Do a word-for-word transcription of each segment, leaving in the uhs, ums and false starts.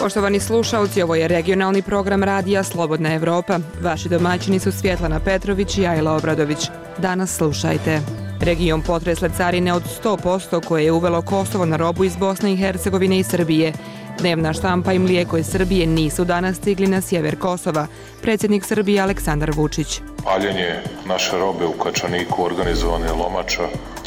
Poštovani slušalci, ovo je regionalni program radija Slobodna Evropa. Vaši domaćini su Svjetlana Petrović i Ajla Obradović. Danas slušajte. Region potresle carine od sto posto koje je uvelo Kosovo na robu iz Bosne i Hercegovine i Srbije. Dnevna štampa i mlijeko iz Srbije nisu danas stigli na sjever Kosova. Predsjednik Srbije Aleksandar Vučić. Paljenje naše robe u Kačaniku, organizovane lomača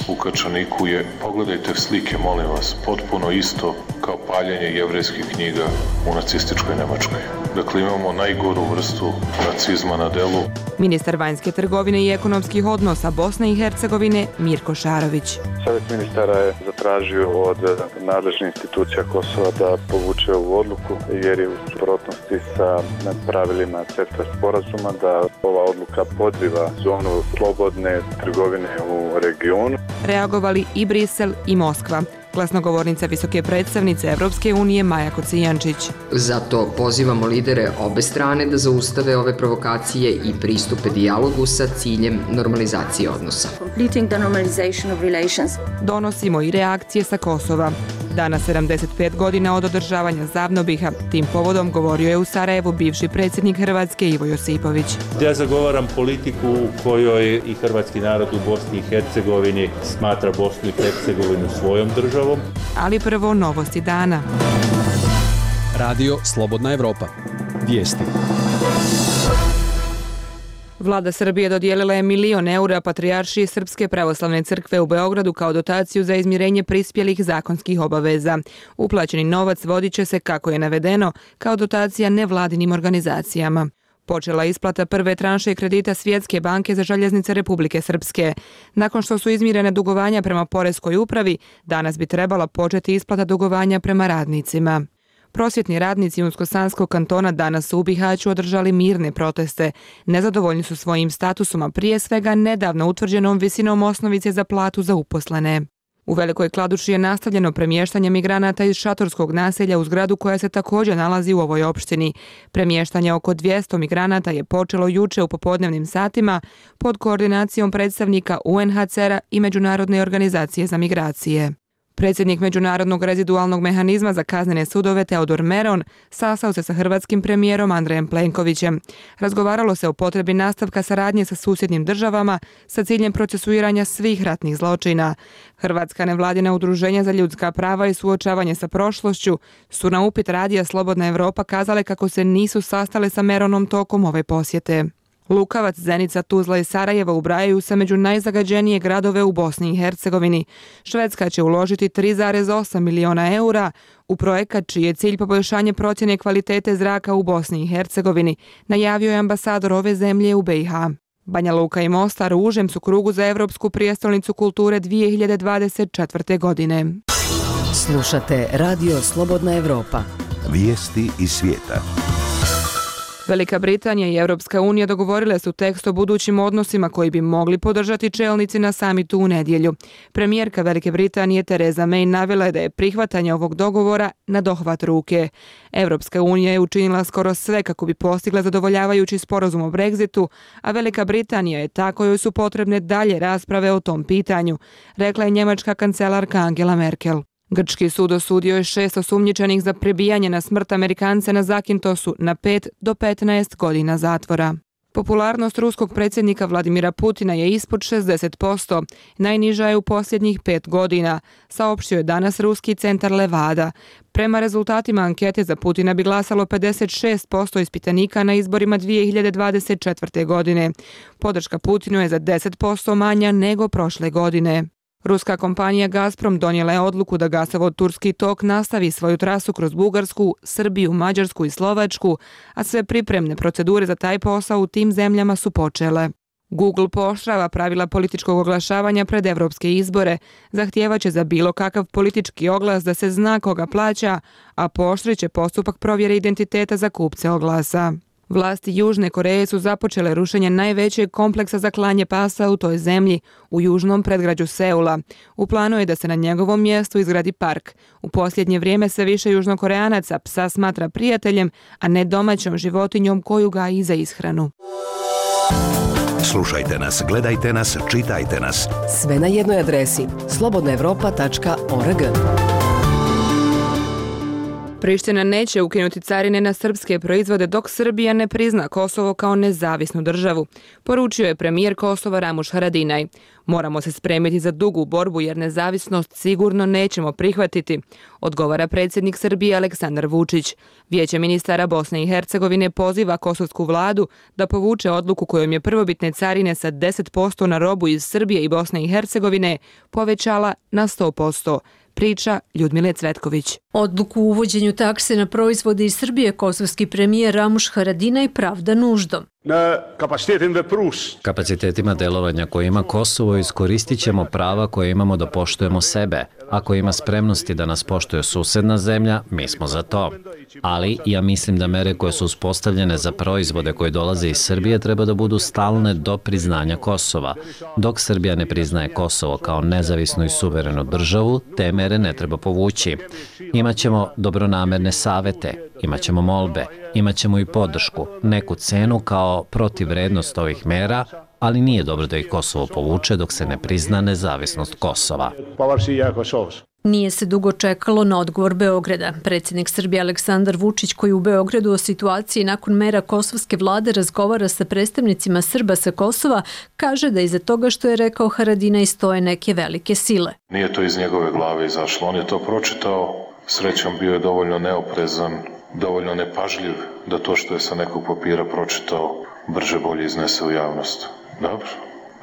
u Kačaniku je, pogledajte slike, molim vas, potpuno isto kao paljenje jevrejskih knjiga u nacističkoj Nemačkoj. Dakle, imamo najgoru vrstu nacizma na delu. Ministar vanjske trgovine i ekonomskih odnosa Bosne i Hercegovine Mirko Šarović. Savjet ministara je zatražio od nadležnih institucija Kosova da povuče ovu odluku jer je u suprotnosti sa pravilima CEFTA sporazuma, da ova odluka podriva zonu slobodne trgovine u regionu. Reagovali i Brisel i Moskva. Glasnogovornica visoke predstavnice Evropske unije Maja Kocijančić. Zato pozivamo lidere obe strane da zaustave ove provokacije i pristupe dijalogu sa ciljem normalizacije odnosa. Donosimo i reakcije sa Kosova. Danas sedamdeset pet godina od održavanja Zavnobiha. Tim povodom govorio je u Sarajevu bivši predsjednik Hrvatske Ivo Josipović. Ja zagovaram politiku u kojoj i hrvatski narod u Bosni i Hercegovini smatra Bosnu i Hercegovinu svojom državom. Ali prvo novosti dana. Radio Slobodna Evropa. Vijesti. Vlada Srbije dodijelila je milion eura Patrijaršiji Srpske pravoslavne crkve u Beogradu kao dotaciju za izmirenje prispjelih zakonskih obaveza. Uplaćeni novac vodit će se, kako je navedeno, kao dotacija nevladinim organizacijama. Počela isplata prve tranše kredita Svjetske banke za željeznice Republike Srpske. Nakon što su izmirene dugovanja prema Poreskoj upravi, danas bi trebala početi isplata dugovanja prema radnicima. Prosvjetni radnici Unsko-Sanskog kantona danas su u Bihaću održali mirne proteste. Nezadovoljni su svojim statusom, a prije svega nedavno utvrđenom visinom osnovice za platu za uposlene. U Velikoj Kladuši je nastavljeno premještanje migranata iz šatorskog naselja u zgradu koja se također nalazi u ovoj opštini. Premještanje oko dvjesto migranata je počelo juče u popodnevnim satima pod koordinacijom predstavnika U N H C R-a i Međunarodne organizacije za migracije. Predsjednik Međunarodnog rezidualnog mehanizma za kaznene sudove Teodor Meron sastao se sa hrvatskim premijerom Andrejem Plenkovićem. Razgovaralo se o potrebi nastavka saradnje sa susjednim državama sa ciljem procesuiranja svih ratnih zločina. Hrvatska nevladina udruženja za ljudska prava i suočavanje sa prošlošću su na upit radija Slobodna Evropa kazale kako se nisu sastale sa Meronom tokom ove posjete. Lukavac, Zenica, Tuzla i Sarajevo ubrajaju se među najzagađenije gradove u Bosni i Hercegovini. Švedska će uložiti tri zarez osam miliona eura u projekat čiji je cilj poboljšanje procjene kvalitete zraka u Bosni i Hercegovini, najavio je ambasador ove zemlje u B i H. Banja Luka i Mostar u užem su krugu za Evropsku prijestolnicu kulture dvije hiljade dvadeset četvrte. godine. Slušate Radio Slobodna Evropa. Vijesti iz svijeta. Velika Britanija i Europska unija dogovorile su tekst o budućim odnosima koji bi mogli podržati čelnici na samitu u nedjelju. Premijerka Velike Britanije Theresa May navela je da je prihvatanje ovog dogovora na dohvat ruke. Europska unija je učinila skoro sve kako bi postigla zadovoljavajući sporazum o Brexitu, a Velika Britanija je ta kojoj su potrebne dalje rasprave o tom pitanju, rekla je njemačka kancelarka Angela Merkel. Grčki sud osudio je šest osumnjičenih za prebijanje na smrt Amerikance na Zakintosu na pet do petnaest godina zatvora. Popularnost ruskog predsjednika Vladimira Putina je ispod šezdeset posto, najniža je u posljednjih pet godina, saopštio je danas ruski centar Levada. Prema rezultatima ankete za Putina bi glasalo pedeset šest posto ispitanika na izborima dvije hiljade dvadeset četvrte. godine. Podrška Putinu je za deset posto manja nego prošle godine. Ruska kompanija Gazprom donijela je odluku da gasovod Turski tok nastavi svoju trasu kroz Bugarsku, Srbiju, Mađarsku i Slovačku, a sve pripremne procedure za taj posao u tim zemljama su počele. Google pooštrava pravila političkog oglašavanja pred evropske izbore, zahtijevaće za bilo kakav politički oglas da se zna koga plaća, a pooštrit će postupak provjere identiteta za kupce oglasa. Vlasti Južne Koreje su započele rušenje najvećeg kompleksa za klanje pasa u toj zemlji, u južnom predgrađu Seula. U planu je da se na njegovom mjestu izgradi park. U posljednje vrijeme sve više Južnokoreanaca psa smatra prijateljem, a ne domaćom životinjom koju gaji za ishranu. Slušajte nas, gledajte nas, čitajte nas. Sve na jednoj adresi slobodna evropa tačka org. Priština neće ukinuti carine na srpske proizvode dok Srbija ne prizna Kosovo kao nezavisnu državu, poručio je premijer Kosova Ramuš Haradinaj. Moramo se spremiti za dugu borbu jer nezavisnost sigurno nećemo prihvatiti, odgovara predsjednik Srbije Aleksandar Vučić. Vijeće ministara Bosne i Hercegovine poziva kosovsku vladu da povuče odluku kojom je prvobitne carine sa deset posto na robu iz Srbije i Bosne i Hercegovine povećala na sto posto. Priča Ljudmile Cvetković. Odluku o uvođenju takse na proizvode iz Srbije kosovski premijer Ramuš Haradinaj pravda nuždom. Kapacitetima delovanja koje ima Kosovo iskoristit ćemo prava koje imamo da poštujemo sebe. Ako ima spremnosti da nas poštuje susedna zemlja, mi smo za to. Ali ja mislim da mere koje su uspostavljene za proizvode koje dolaze iz Srbije treba da budu stalne do priznanja Kosova. Dok Srbija ne priznaje Kosovo kao nezavisnu i suverenu državu, te mere ne treba povući. Imaćemo dobronamerne savete, imaćemo molbe, imaćemo i podršku, neku cenu kao protivvrednost ovih mera, ali nije dobro da ih Kosovo povuče dok se ne prizna nezavisnost Kosova. Nije se dugo čekalo na odgovor Beograda. Predsjednik Srbije Aleksandar Vučić, koji u Beogradu o situaciji nakon mera kosovske vlade razgovara sa predstavnicima Srba sa Kosova, kaže da iza toga što je rekao Haradinaj stoje neke velike sile. Nije to iz njegove glave izašlo, on je to pročitao, srećom bio je dovoljno neoprezan, dovoljno nepažljiv da to što je sa nekog papira pročitao brže bolje iznese u javnost. Dobro,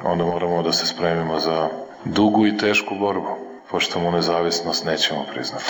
onda moramo da se spremimo za dugu i tešku borbu, pošto mu nezavisnost nećemo priznati.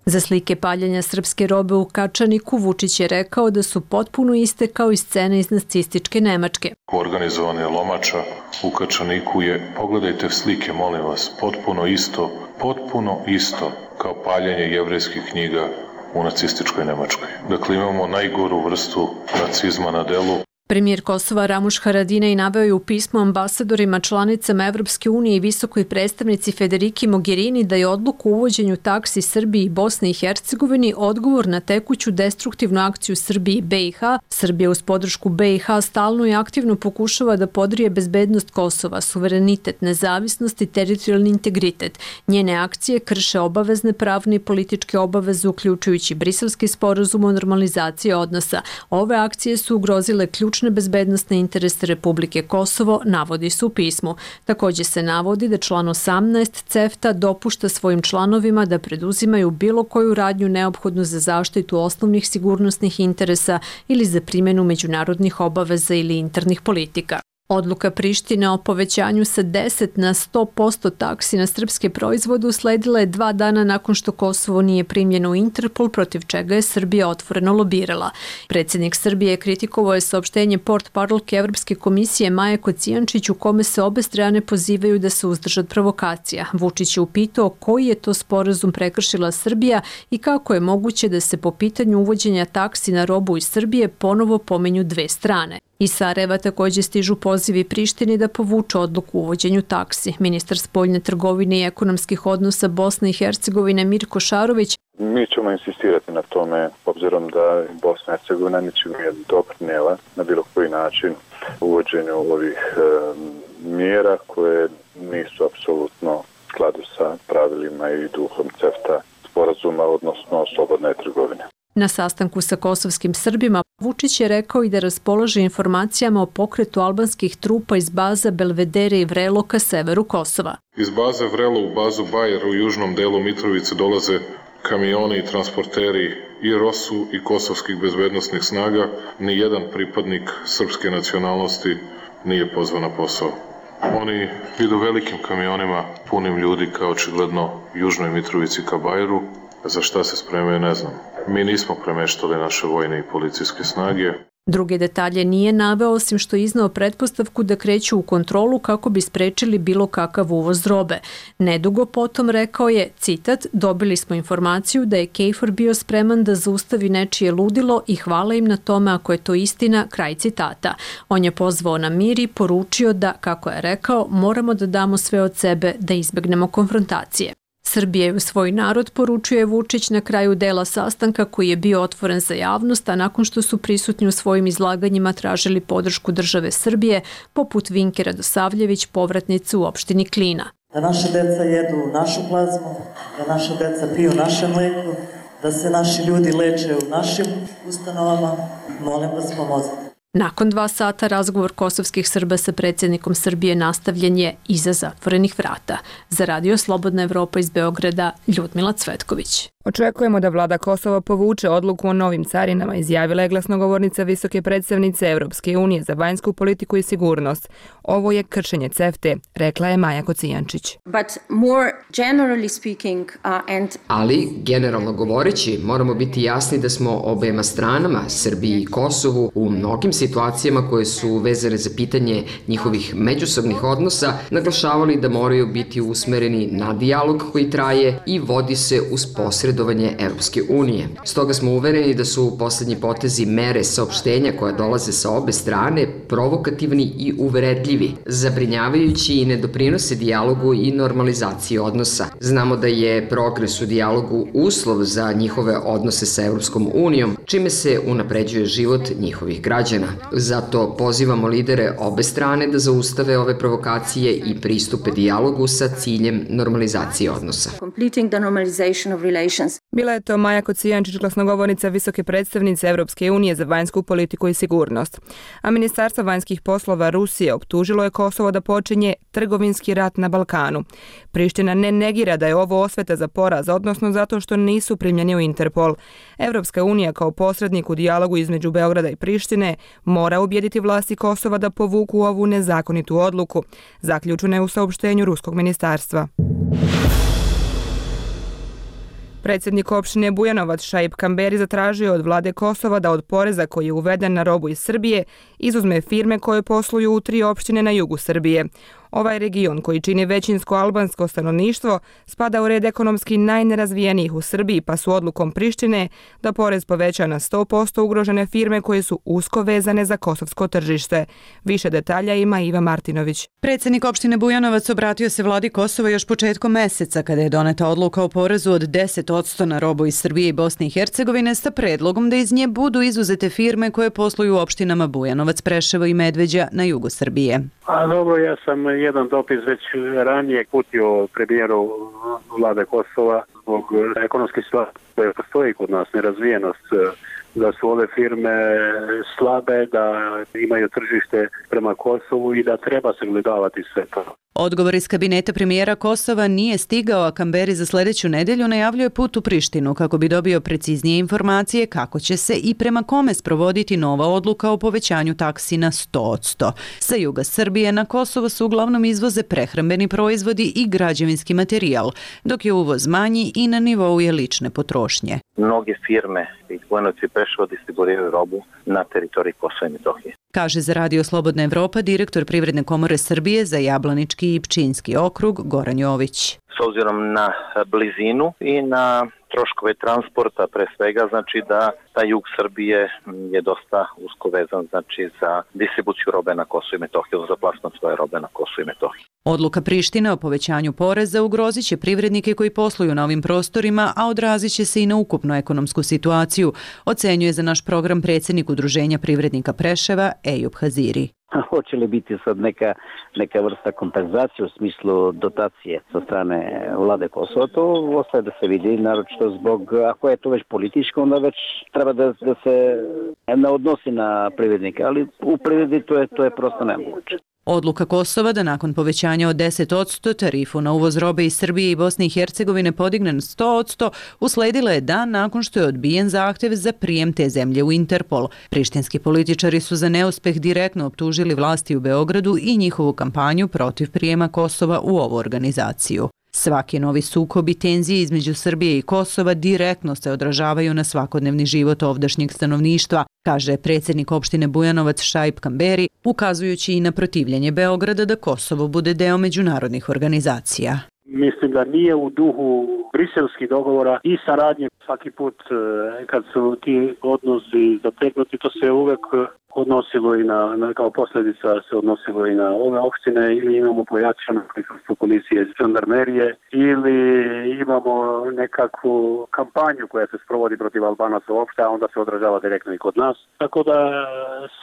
Za slike paljenja srpske robe u Kačaniku Vučić je rekao da su potpuno iste kao i scene iz nacističke Nemačke. Organizovanje lomača u Kačaniku je, pogledajte slike, molim vas, potpuno isto, potpuno isto kao paljenje jevrejskih knjiga u nacističkoj Nemačkoj. Dakle, imamo najgoru vrstu nacizma na delu. Premijer Kosova Ramuš Haradinaj naveo je u pismu ambasadorima članicama Evropske unije i visokoj predstavnici Federiki Mogherini da je odluku o uvođenju taksi Srbiji i Bosni i Hercegovini odgovor na tekuću destruktivnu akciju Srbije i B i H. Srbija uz podršku B i H stalno i aktivno pokušava da podrije bezbednost Kosova, suverenitet, nezavisnost i teritorijalni integritet. Njene akcije krše obavezne pravne i političke obaveze, uključujući Briselski sporazum o normalizaciji odnosa. Ove akcije su ugrozile ključ bezbednostne interese Republike Kosovo, navodi se u pismu. Također se navodi da član osamnaest CEFTA dopušta svojim članovima da preduzimaju bilo koju radnju neophodnu za zaštitu osnovnih sigurnosnih interesa ili za primjenu međunarodnih obaveza ili internih politika. Odluka Prištine o povećanju sa deset na sto posto taksi na srpske proizvode usledila je dva dana nakon što Kosovo nije primljeno u Interpol, protiv čega je Srbija otvoreno lobirala. Predsjednik Srbije je kritikovao je saopštenje portparolke Evropske komisije Maje Kocijančić u kome se obe strane pozivaju da se uzdrže od provokacija. Vučić je upitao koji je to sporazum prekršila Srbija i kako je moguće da se po pitanju uvođenja taksi na robu iz Srbije ponovo pomenju dve strane. Iz Sarajeva također stižu pozivi Prištini da povuče odluku o uvođenju taksi. Ministar spoljne trgovine i ekonomskih odnosa Bosne i Hercegovine Mirko Šarović. Mi ćemo insistirati na tome, obzirom da Bosna i Hercegovina ničim nije doprinijela na bilo koji način uvođenju ovih e, mjera koje nisu apsolutno u skladu sa pravilima i duhom CEFTA sporazuma, odnosno slobodne trgovine. Na sastanku sa kosovskim Srbima Vučić je rekao i da raspolaže informacijama o pokretu albanskih trupa iz baza Belvedere i Vrelo ka severu Kosova. Iz baze Vrelo u bazu Bajer u južnom delu Mitrovice dolaze kamioni i transporteri i Rosu i kosovskih bezbednosnih snaga. Nijedan pripadnik srpske nacionalnosti nije pozvan na posao. Oni idu velikim kamionima punim ljudi kao očigledno južnoj Mitrovici ka Bajeru. Za šta se spremaju, ne znam. Mi nismo premeštali naše vojne i policijske snage. Druge detalje nije naveo, osim što je izneo pretpostavku da kreću u kontrolu kako bi sprečili bilo kakav uvoz robe. Nedugo potom rekao je, citat, dobili smo informaciju da je Kejfor bio spreman da zaustavi nečije ludilo i hvala im na tome ako je to istina, kraj citata. On je pozvao na mir i poručio da, kako je rekao, moramo da damo sve od sebe da izbegnemo konfrontacije. Srbije u svoj narod, poručuje Vučić na kraju dela sastanka koji je bio otvoren za javnost, a nakon što su prisutni u svojim izlaganjima tražili podršku države Srbije, poput Vinke Radosavljević, povratnice u opštini Klina. Da naše deca jedu našu plazmu, da naša deca piju naše mlijeko, da se naši ljudi leče u našim ustanovama, molim vas pomozite. Nakon dva sata razgovor kosovskih Srba sa predsjednikom Srbije nastavljen je iza zatvorenih vrata. Za Radio Slobodna Evropa iz Beograda, Ljudmila Cvetković. Očekujemo da vlada Kosova povuče odluku o novim carinama, izjavila je glasnogovornica visoke predstavnice Evropske unije za vanjsku politiku i sigurnost. Ovo je kršenje CEFTE, rekla je Maja Kocijančić. Ali, generalno govoreći, moramo biti jasni da smo obema stranama, Srbiji i Kosovu, u mnogim situacijama koje su vezane za pitanje njihovih međusobnih odnosa, naglašavali da moraju biti usmereni na dijalog koji traje i vodi se uz posredovanje Evropske unije. Stoga smo uvereni da su poslednji potezi mere saopštenja koja dolaze sa obe strane provokativni i uvredljivi, zabrinjavajući i ne doprinose dijalogu i normalizaciji odnosa. Znamo da je progres u dijalogu uslov za njihove odnose sa Evropskom unijom, čime se unapređuje život njihovih građana. Zato pozivamo lidere obe strane da zaustave ove provokacije i pristupe dijalogu sa ciljem normalizacije odnosa. Bila je to Maja Kocijančić, glasnogovornica visoke predstavnice Evropske unije za vanjsku politiku i sigurnost. A Ministarstvo vanjskih poslova Rusije optužilo je Kosovo da počinje trgovinski rat na Balkanu. Priština ne negira da je ovo osveta za poraz, odnosno zato što nisu primljeni u Interpol. Evropska unija kao posrednik u dijalogu između Beograda i Prištine mora ubijediti vlasti Kosova da povuku ovu nezakonitu odluku, zaključeno je u saopštenju ruskog ministarstva. Predsjednik opštine Bujanovac Šaip Kamberi zatražio od vlade Kosova da od poreza koji je uveden na robu iz Srbije izuzme firme koje posluju u tri opštine na jugu Srbije. Ovaj region, koji čini većinsko albansko stanovništvo, spada u red ekonomski najnerazvijenijih u Srbiji, pa su odlukom Prištine da porez poveća na sto posto ugrožene firme koje su usko vezane za kosovsko tržište. Više detalja ima Iva Martinović. Predsjednik opštine Bujanovac obratio se vladi Kosova još početkom meseca kada je doneta odluka o porezu od deset posto na robu iz Srbije i Bosne i Hercegovine sa predlogom da iz nje budu izuzete firme koje posluju u opštinama Bujanovac, Preševo i Medveđa na jugu Srbije. A dobro, ja sam jedan dopis već ranije uputio premijeru vlade Kosova zbog ekonomske situacije koje postoji kod nas, nerazvijenost, da su ove firme slabe, da imaju tržište prema Kosovu i da treba se gledavati sve to. Odgovor iz kabineta premijera Kosova nije stigao, a Kamberi za sljedeću nedelju najavljuje put u Prištinu kako bi dobio preciznije informacije kako će se i prema kome sprovoditi nova odluka o povećanju taksi na sto posto. Sa juga Srbije na Kosovo su uglavnom izvoze prehrambeni proizvodi i građevinski materijal, dok je uvoz manji i na nivou je lične potrošnje. Mnoge firme iz Bujanovca i Preševa distribuiraju robu na teritoriji Kosova i Metohije. Kaže za Radio Slobodna Evropa direktor Privredne komore Srbije za Jablanički i Pčinjski okrug Goran Jović. S obzirom na blizinu i na troškove transporta pre svega, znači da taj jug Srbije je dosta usko vezan znači za distribuciju robe na Kosovo i Metohiju, za plasman svoje robe na Kosovo i Metohiju. Odluka Prištine o povećanju poreza ugrozit će privrednike koji posluju na ovim prostorima, a odrazit će se i na ukupnu ekonomsku situaciju, ocenjuje za naš program predsjednik Udruženja privrednika Preševa Ejub Haziri. Hoće li biti sad neka, neka vrsta kompenzacije u smislu dotacije sa strane vlade Kosova, to ostaje da se vidi, naročito zbog, ako je to već političko, onda već treba da, da se ne odnosi na privrednike, ali u privredi to je, to je prosto nemoguće. Odluka Kosova da nakon povećanja od deset posto tarifu na uvoz robe iz Srbije i Bosne i Hercegovine podigne na sto posto usledila je dan nakon što je odbijen zahtev za prijem te zemlje u Interpol. Prištinski političari su za neuspeh direktno optužili vlasti u Beogradu i njihovu kampanju protiv prijema Kosova u ovu organizaciju. Svaki novi sukob i tenzije između Srbije i Kosova direktno se odražavaju na svakodnevni život ovdašnjeg stanovništva, kaže predsjednik opštine Bujanovac Šaip Kamberi, ukazujući i na protivljenje Beograda da Kosovo bude deo međunarodnih organizacija. Mislim da nije u duhu briselskih dogovora i saradnje. Svaki put kad su ti odnosi zategnuti, to se uvek odnosilo i na, na kao posljedica se odnosilo i na ove opštine, ili imamo pojačano prisustvo policije iz žandarmerije, ili imamo nekakvu kampanju koja se sprovodi protiv Albanaca uopšte, a onda se odražava direktno i kod nas. Tako da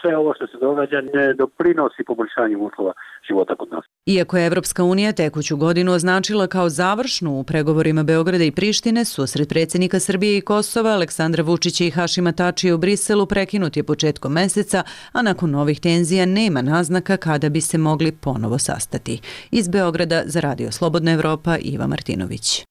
sve ovo što se događa ne doprinosi poboljšanju uslova života kod nas. Iako je Evropska unija tekuću godinu označila kao završnu u pregovorima Beograda i Prištine, susret predsjednika Srbije i Kosova Aleksandra Vučića i Hašima Tačija u Briselu prekinut je početkom meseca, a nakon novih tenzija nema naznaka kada bi se mogli ponovo sastati. Iz Beograda za Radio Slobodna Evropa Iva Martinović.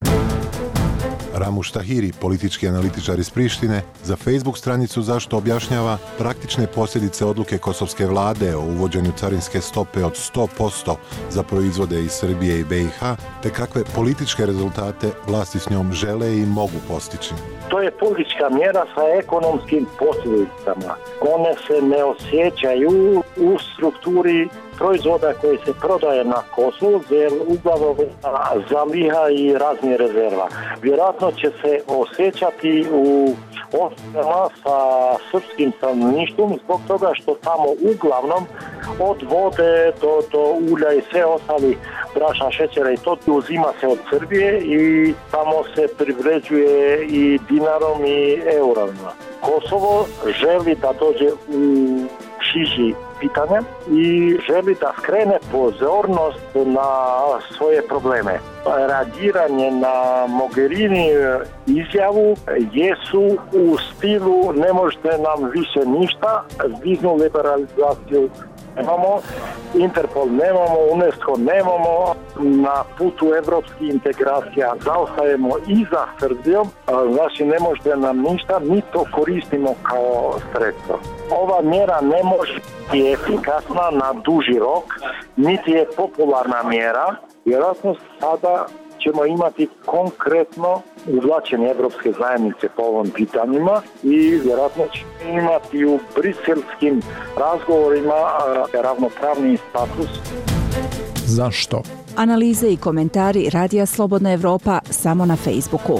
Ramuš Tahiri, politički analitičar iz Prištine, za Facebook stranicu Zašto objašnjava praktične posljedice odluke kosovske vlade o uvođenju carinske stope od sto posto za proizvode iz Srbije i be i ha, te kakve političke rezultate vlasti s njom žele i mogu postići. To je politička mjera sa ekonomskim posljedicama. One se ne osjećaju u strukturi proizvoda koji se prodaje na Kosovu, jer uglavnom zaliha i raznih rezerva. Vjerojatno će se osjećati u osnovama sa srpskim stanovništvom zbog toga što tamo uglavnom od vode do, do ulja i sve ostali brašna, šećera i to uzima se od Srbije i tamo se privređuje i dinarom i eurama. Kosovo želi da dođe u šiži pitanja i želi da skrene pozornost na svoje probleme. Reagiranje na Mogherini izjavu jesu u stilu ne možete nam više ništa, viznu liberalizaciju nemamo, Interpol nemamo, UNESCO nemamo, na putu evropskih integracija zaostajemo i za Srbijom, znači ne možete nam ništa, mi to koristimo kao sredstvo. Ova mjera ne može biti efikasna na duži rok, niti je popularna mjera, vjerojatno sada ćemo imati konkretno uvlačenje Evropske zajednice po ovom pitanjima i vjerojatno ćemo imati u briselskim razgovorima ravnopravni status. Zašto? Analize i komentari Radija Slobodna Evropa samo na Facebooku.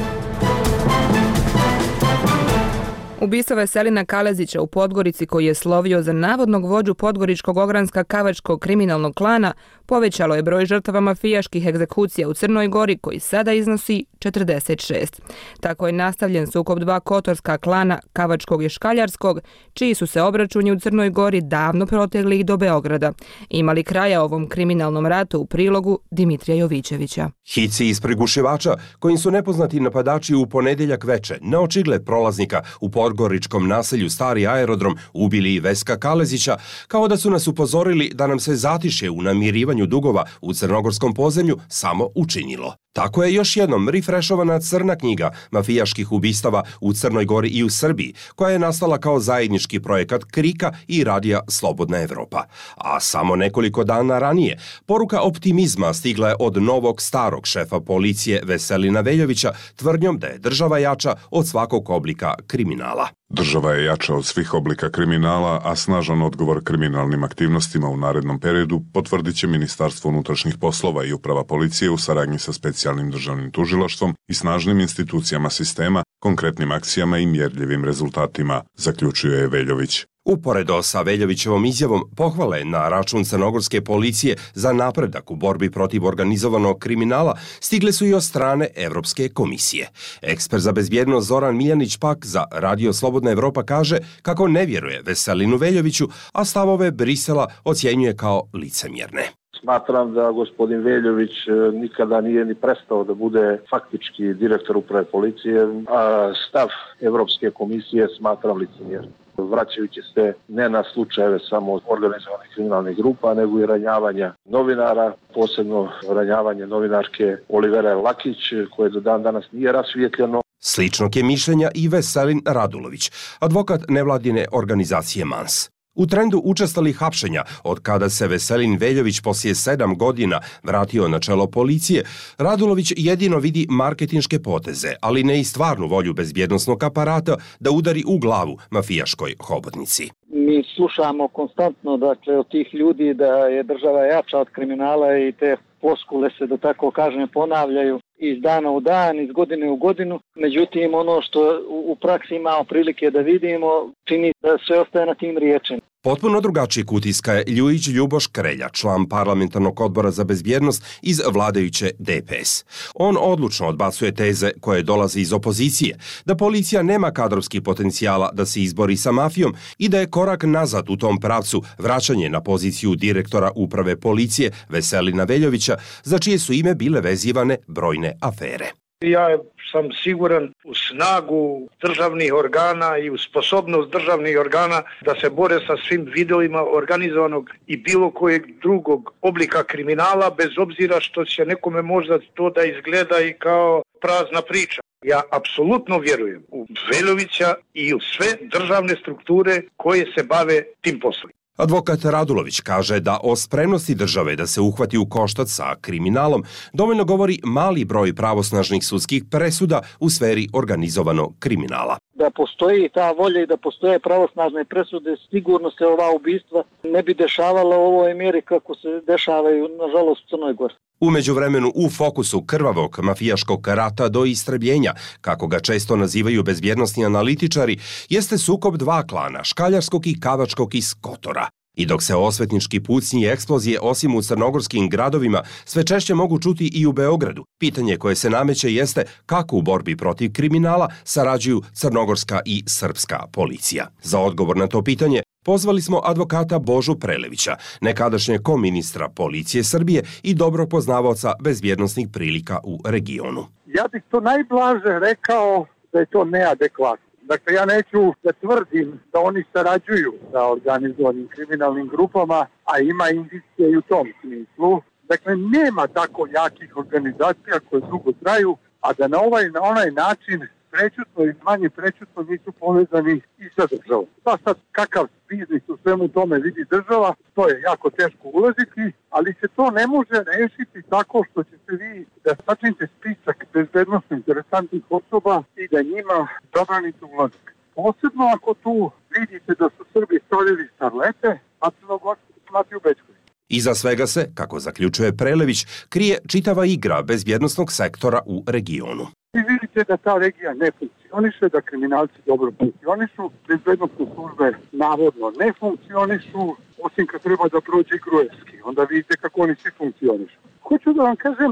Ubistvo Veselina Kalezića u Podgorici, koji je slovio za navodnog vođu podgoričkog ogranska kavačkog kriminalnog klana, povećalo je broj žrtava mafijaških egzekucija u Crnoj Gori, koji sada iznosi četrdeset šest. Tako je nastavljen sukob dva kotorska klana, kavačkog i škaljarskog, čiji su se obračuni u Crnoj Gori davno protegli i do Beograda. Imali kraja ovom kriminalnom ratu u prilogu Dimitrija Jovićevića. Hici iz prigušivača, kojim su nepoznati napadači u ponedeljak veče na očigled prolaznika u podgoričkom naselju Stari aerodrom ubili i Veska Kalezića, kao da su nas upozorili da nam se zatišje u namirivanju dugova u crnogorskom podzemlju samo učinilo. Tako je još jednom rifrešovana crna knjiga mafijaških ubistava u Crnoj Gori i u Srbiji, koja je nastala kao zajednički projekat Krika i Radija Slobodna Evropa. A samo nekoliko dana ranije, poruka optimizma stigla je od novog starog šefa policije Veselina Veljovića tvrdnjom da je država jača od svakog oblika kriminala. Država je jača od svih oblika kriminala, a snažan odgovor kriminalnim aktivnostima u narednom periodu potvrdit će Ministarstvo unutrašnjih poslova i Uprava policije u saradnji sa specijalnim državnim tužilaštvom i snažnim institucijama sistema, konkretnim akcijama i mjerljivim rezultatima, zaključuje Veljović. Uporedo sa Veljovićevom izjavom pohvale na račun crnogorske policije za napredak u borbi protiv organizovanog kriminala stigle su i od strane Evropske komisije. Ekspert za bezbjednost Zoran Miljanić pak za Radio Slobodna Evropa kaže kako ne vjeruje Veselinu Veljoviću, a stavove Brisela ocjenjuje kao licemjerne. Smatram da gospodin Veljović nikada nije ni prestao da bude faktički direktor uprave policije, a stav Evropske komisije smatram licemjernim. Vraćajući se ne na slučajeve samo organizovanih kriminalnih grupa, nego i ranjavanja novinara, posebno ranjavanje novinarke Olivere Lakić, koje do dan danas nije rasvijetljeno. Sličnog je mišljenja i Veselin Radulović, advokat nevladine organizacije Mans. U trendu učestalih hapšenja, od kada se Veselin Veljović poslije sedam godina vratio na čelo policije, Radulović jedino vidi marketinške poteze, ali ne i stvarnu volju bezbjednosnog aparata da udari u glavu mafijaškoj hobotnici. Mi slušamo konstantno, dakle, od tih ljudi da je država jača od kriminala i te floskule se, da tako kažem, ponavljaju iz dana u dan, iz godine u godinu. Međutim, ono što u praksi imamo prilike da vidimo, čini da sve ostaje na tim riječima. Potpuno drugačijeg utiska je Ljujić Ljuboš Krelja, član parlamentarnog odbora za bezbjednost iz vladajuće D P S. On odlučno odbacuje teze koje dolaze iz opozicije, da policija nema kadrovskih potencijala da se izbori sa mafijom i da je korak nazad u tom pravcu vraćanje na poziciju direktora uprave policije Veselina Veljovića, za čije su ime bile vezivane brojne afere. Ja sam siguran u snagu državnih organa i u sposobnost državnih organa da se bore sa svim vidovima organizovanog i bilo kojeg drugog oblika kriminala, bez obzira što će nekome možda to da izgleda i kao prazna priča. Ja apsolutno vjerujem u Veljovića i u sve državne strukture koje se bave tim poslom. Advokat Radulović kaže da o spremnosti države da se uhvati u koštac sa kriminalom dovoljno govori mali broj pravosnažnih sudskih presuda u sferi organizovanog kriminala. Da postoji ta volja i da postoje pravosnažne presude, sigurno se ova ubistva ne bi dešavala u ovoj mjeri kako se dešavaju, nažalost, u Crnoj Gori. U međuvremenu u fokusu krvavog mafijaškog rata do istrebljenja, kako ga često nazivaju bezbjednosni analitičari, jeste sukob dva klana, škaljarskog i kavačkog iz Kotora. I dok se osvetnički pucnji i eksplozije osim u crnogorskim gradovima sve češće mogu čuti i u Beogradu, pitanje koje se nameće jeste kako u borbi protiv kriminala sarađuju crnogorska i srpska policija. Za odgovor na to pitanje pozvali smo advokata Božu Prelevića, nekadašnjeg koministra policije Srbije i dobro poznavaoca bezbjednosnih prilika u regionu. Ja bih to najblaže rekao da je to neadekvatno. Dakle, ja neću da tvrdim da oni sarađuju sa organizovanim kriminalnim grupama, a ima indicije i u tom smislu. Dakle, nema tako jakih organizacija koje dugo traju, a da na ovaj na onaj način prećutno i manje prećutno nisu povezani i sa državom. Pa sad, kakav biznis u svemu tome vidi država, to je jako teško ulaziti, ali se to ne može rešiti tako što ćete vi da sačinite spisak bezbednostno interesantnih osoba i da njima zabranite ulazak. Posebno ako tu vidite da su Srbi stavili starlete, a Crnogorci Matiju Bečković. Iza svega se, kako zaključuje Prelević, krije čitava igra bezbjednosnog sektora u regionu. Vi vidite da ta regija ne funkcioniše, da kriminalci dobro funkcionišu, bezbednostne službe navodno ne funkcionišu, osim kad treba da prođe Gruevski. Onda vidite kako oni svi funkcionišu. Hoću da vam kažem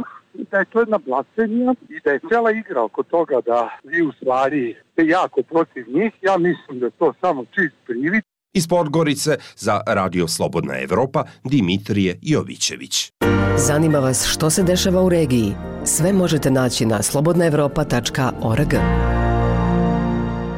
da je to jedna blasfemija i da je cela igra oko toga da vi u stvari ste jako protiv njih. Ja mislim da je to samo čist privid. Iz Podgorice za Radio Slobodna Evropa Dimitrije Jovićević. Zanima vas što se dešava u regiji? Sve možete naći na slobodna evropa tačka org.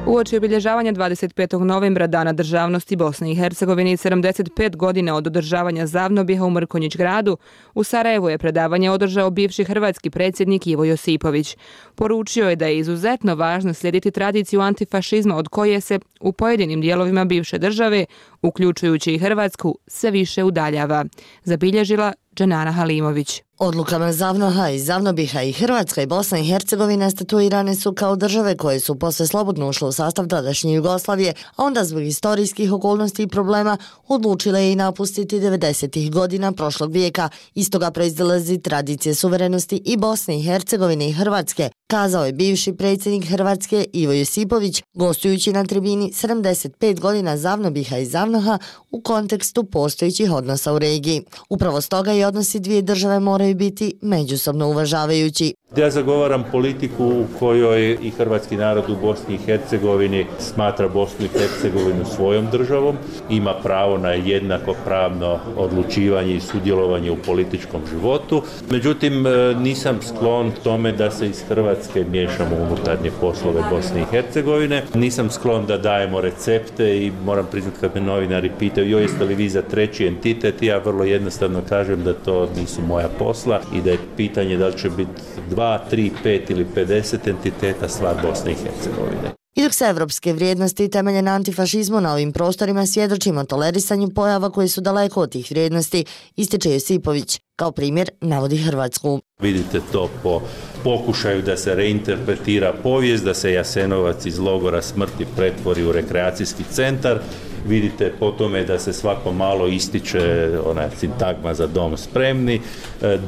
Uoči obilježavanja dvadeset petog novembra Dana državnosti Bosne i Hercegovine i sedamdeset pet godine od održavanja Zavnobiha u Mrkonjić gradu, u Sarajevu je predavanje održao bivši hrvatski predsjednik Ivo Josipović. Poručio je da je izuzetno važno slijediti tradiciju antifašizma od koje se u pojedinim dijelovima bivše države, uključujući i Hrvatsku, sve više udaljava, zabilježila Dženana Halimović. Odlukama Zavnoha i Zavnobiha i Hrvatska i Bosna i Hercegovina statuirane su kao države koje su posle slobodno ušle u sastav tadašnje Jugoslavije, a onda zbog istorijskih okolnosti i problema odlučile i napustiti devedesetih godina prošlog vijeka. Iz toga proizilazi tradicije suverenosti i Bosne i Hercegovine i Hrvatske, kazao je bivši predsjednik Hrvatske Ivo Josipović, gostujući na tribini sedamdeset pet godina Zavnobiha i Zavnoha u kontekstu postojećih odnosa u regiji. Upravo stoga i odnosi dvije države moraju biti međusobno uvažavajući. Ja zagovaram politiku u kojoj i hrvatski narod u Bosni i Hercegovini smatra Bosnu i Hercegovinu svojom državom, ima pravo na jednakopravno odlučivanje i sudjelovanje u političkom životu. Međutim, nisam sklon tome da se iz Hrvatske miješamo u unutarnje poslove Bosne i Hercegovine. Nisam sklon da dajemo recepte i moram priznati kad me novinari pitaju joj jeste li vi za treći entitet, ja vrlo jednostavno kažem da to nisu moja posla i da je pitanje da li će biti dva, tri, pet ili pedeset entiteta stvar Bosne i Hercegovine. I dok se evropske vrijednosti temelje na antifašizmu na ovim prostorima svjedočimo tolerisanju pojava koji su daleko od tih vrijednosti, ističe Josipović. Kao primjer navodi Hrvatsku. Vidite to po pokušaju da se reinterpretira povijest, da se Jasenovac iz logora smrti pretvori u rekreacijski centar. Vidite po tome da se svako malo ističe ona sintagma za dom spremni,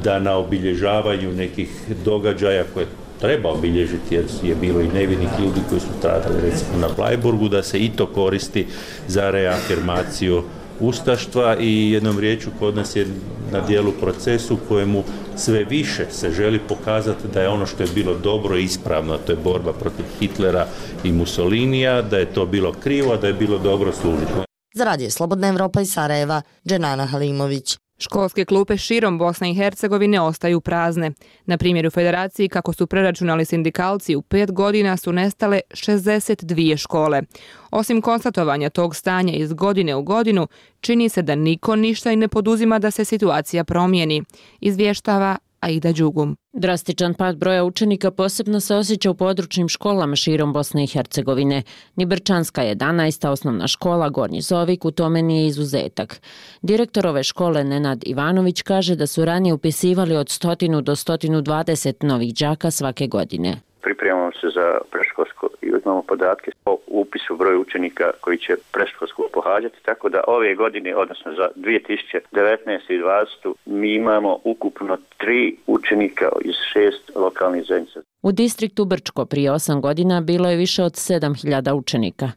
da na obilježavanju nekih događaja koje treba obilježiti jer je bilo i nevinih ljudi koji su stradali recimo na Bleiburgu, da se i to koristi za reafirmaciju ustaštva i jednom riječju kod nas je na dijelu proces u kojemu sve više se želi pokazati da je ono što je bilo dobro i ispravno, to je borba protiv Hitlera i Mussolinija, da je to bilo krivo, a da je bilo dobro služiti. Za Radio Slobodna Evropa iz Sarajeva, Dženana Halimović. Školske klupe širom Bosne i Hercegovine ostaju prazne. Na primjer u Federaciji, kako su preračunali sindikalci, u pet godina su nestale šezdeset dvije škole. Osim konstatovanja tog stanja iz godine u godinu, čini se da niko ništa i ne poduzima da se situacija promijeni, izvještava Aida Đugum. Drastičan pad broja učenika posebno se osjeća u područnim školama širom Bosne i Hercegovine. Nibrčanska jedanaesta osnovna škola Gornji Zovik u tome nije izuzetak. Direktor ove škole Nenad Ivanović kaže da su ranije upisivali od sto do sto dvadeset novih đaka svake godine. Pripremamo se za predškolsko i uzmamo podatke o upisu broju učenika koji će predškolsko pohađati, tako da ove godine, odnosno za dvije tisuće devetnaestu i dvadesetu mi imamo ukupno tri učenika iz šest lokalnih zajednica. U distriktu Brčko prije osam godina bilo je više od sedam hiljada učenika,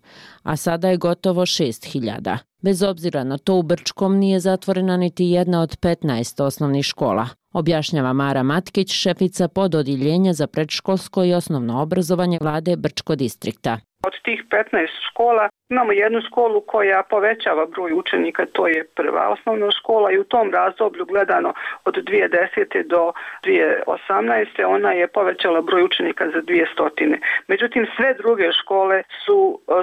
a sada je gotovo šest hiljada. Bez obzira na to, u Brčkom nije zatvorena niti jedna od petnaest osnovnih škola, objašnjava Mara Matkić, šefica pododjeljenja za predškolsko i osnovno obrazovanje vlade Brčko distrikta. Od tih petnaest škola imamo jednu školu koja povećava broj učenika, to je prva osnovna škola i u tom razdoblju gledano od dvije tisuće desete do dvije tisuće osamnaeste ona je povećala broj učenika za dvije stotine. Međutim, sve druge škole su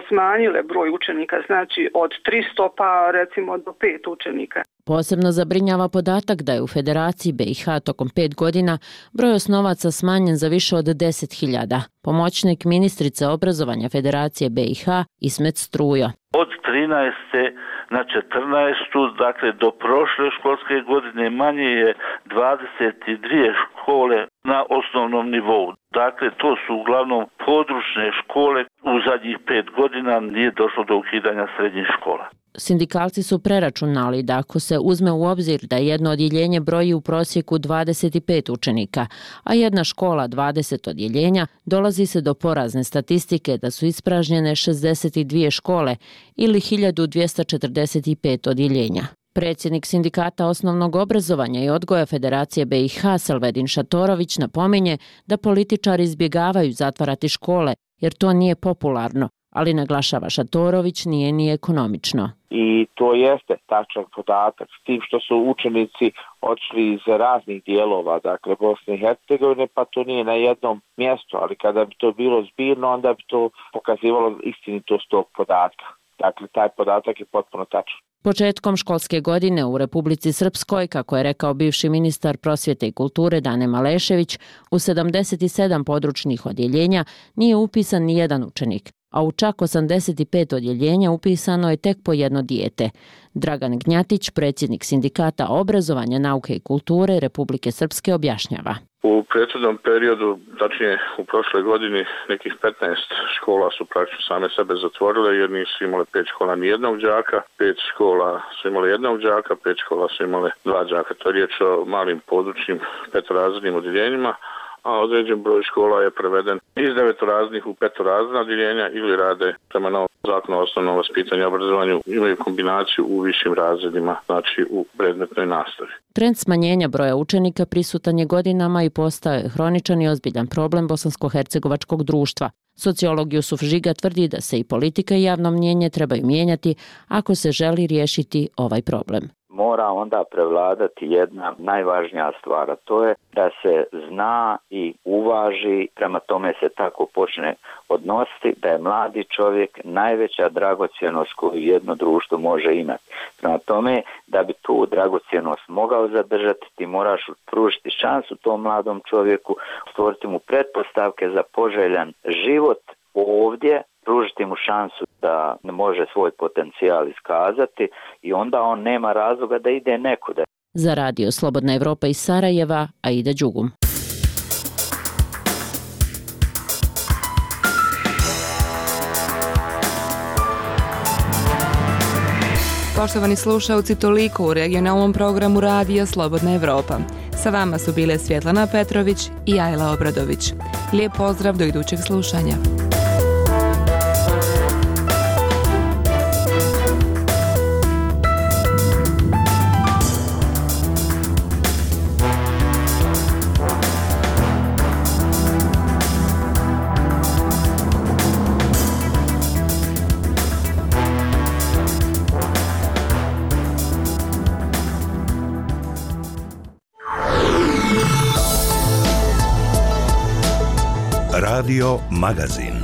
smanjile broj učenika, znači od tristo pa recimo do pet učenika. Posebno zabrinjava podatak da je u Federaciji B i H tokom pet godina broj osnovaca smanjen za više od deset hiljada. Pomoćnik ministrice obrazovanja Federacije B i H Ismet Strujo. Od trinaeste na četrnaestu, dakle do prošle školske godine manje je dvadeset dvije škole na osnovnom nivou. Dakle, to su uglavnom područne škole. U zadnjih pet godina nije došlo do ukidanja srednjih škola. Sindikalci su preračunali da ako se uzme u obzir da jedno odjeljenje broji u prosjeku dvadeset pet učenika, a jedna škola dvadeset odjeljenja, dolazi se do porazne statistike da su ispražnjene šezdeset dvije škole ili hiljadu dvjesto četrdeset pet odjeljenja. Predsjednik Sindikata osnovnog obrazovanja i odgoja Federacije B i H Selvedin Šatorović napominje da političari izbjegavaju zatvarati škole jer to nije popularno, ali naglašava Šatorović nije ni ekonomično. I to jeste tačan podatak, s tim što su učenici odšli iz raznih dijelova, dakle Bosne i Hercegovine, pa to nije na jednom mjestu, ali kada bi to bilo zbirno, onda bi to pokazivalo istinitost tog podatka. Dakle, taj podatak je potpuno tačan. Početkom školske godine u Republici Srpskoj, kako je rekao bivši ministar prosvjete i kulture Dane Malešević, u sedamdeset sedam područnih odjeljenja nije upisan ni jedan učenik, a u čak osamdeset pet odjeljenja upisano je tek po jedno dijete. Dragan Gnjatić, predsjednik Sindikata obrazovanja, nauke i kulture Republike Srpske, objašnjava. U prethodnom periodu, tačnije u prošloj godini, nekih petnaest škola su praktično same sebe zatvorile jer nisu imale pet škola ni jednog đaka, pet škola su imale jednog đaka, pet škola su imale dva đaka. To je riječ o malim područnim petorazrednim odjeljenjima, a određen broj škola je preveden iz devetorazrednih u petorazredna odjeljenja ili rade prema novom zakonu o osnovnom vaspitanju i obrazovanju, imaju kombinaciju u višim razredima, znači u predmetnoj nastavi. Trend smanjenja broja učenika prisutan je godinama i postao je hroničan i ozbiljan problem bosansko-hercegovačkog društva. Sociolog Jusuf Žiga tvrdi da se i politika i javno mnjenje trebaju mijenjati ako se želi riješiti ovaj problem. Mora onda prevladati jedna najvažnija stvar, a to je da se zna i uvaži, prema tome se tako počne odnositi, da je mladi čovjek najveća dragocjenost koju jedno društvo može imati. Prema tome, da bi tu dragocjenost mogao zadržati, ti moraš pružiti šansu tom mladom čovjeku, stvoriti mu pretpostavke za poželjan život ovdje, pružiti mu šansu da može svoj potencijal iskazati i onda on nema razloga da ide nekuda. Za Radio Slobodna Evropa iz Sarajeva, Aida Đugum. Poštovani slušalci, toliko u regionalnom programu Radija Slobodna Evropa. Sa vama su bile Svjetlana Petrović i Ajla Obradović. Lijep pozdrav do idućeg slušanja. Radio Magazin.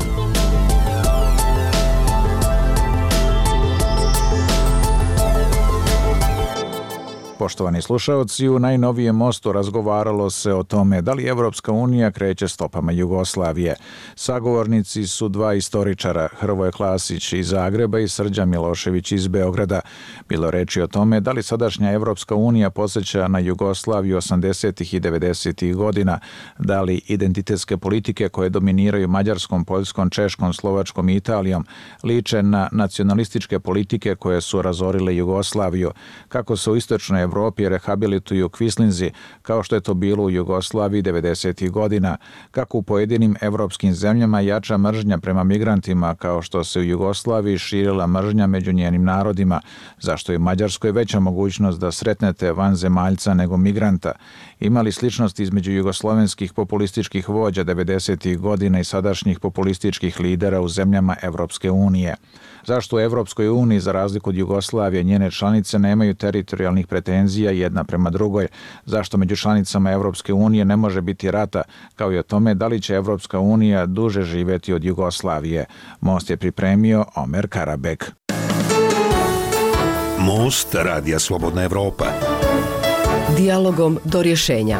Poštovani slušaoci, u najnovijem mostu razgovaralo se o tome da li Evropska unija kreće stopama Jugoslavije. Sagovornici su dva istoričara, Hrvoje Klasić iz Zagreba i Srđan Milošević iz Beograda. Bilo reči o tome da li sadašnja Evropska unija podsjeća na Jugoslaviju osamdesetih i devedesetih godina, da li identitetske politike koje dominiraju Mađarskom, Poljskom, Češkom, Slovačkom i Italijom liče na nacionalističke politike koje su razorile Jugoslaviju, kako se u istočnoj Evropi rehabilituju kvislinzi, kao što je to bilo u Jugoslaviji devedesetih godina, kako u pojedinim evropskim zemljama jača mržnja prema migrantima, kao što se u Jugoslaviji širila mržnja među njenim narodima, zašto je u Mađarskoj veća mogućnost da sretnete vanzemaljca nego migranta. Imali sličnost između jugoslovenskih populističkih vođa devedesetih godina i sadašnjih populističkih lidera u zemljama Evropske unije. Zašto u Evropskoj uniji, za razliku od Jugoslavije, njene članice nemaju teritorijalnih pretenzija jedna prema drugoj? Zašto među članicama Evropske unije ne može biti rata, kao i o tome da li će Evropska unija duže živjeti od Jugoslavije? Most je pripremio Omer Karabek. Most Radija Slobodna Evropa. Dijalogom do rješenja.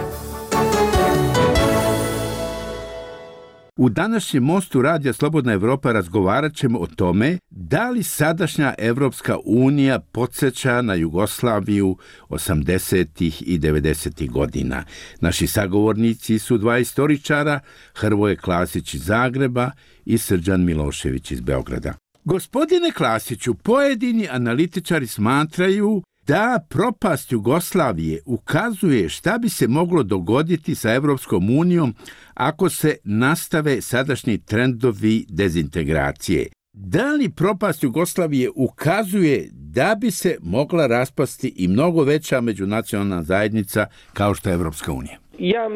U današnjem mostu Radija Slobodna Evropa razgovarat ćemo o tome da li sadašnja Evropska unija podsjeća na Jugoslaviju osamdesetih i devedesetih godina. Naši sagovornici su dva istoričara, Hrvoje Klasić iz Zagreba i Srđan Milošević iz Beograda. Gospodine Klasiću, pojedini analitičari smatraju da propast Jugoslavije ukazuje šta bi se moglo dogoditi sa Evropskom unijom ako se nastave sadašnji trendovi dezintegracije. Da li propast Jugoslavije ukazuje da bi se mogla raspasti i mnogo veća međunacionalna zajednica kao što je Evropska unija? Ja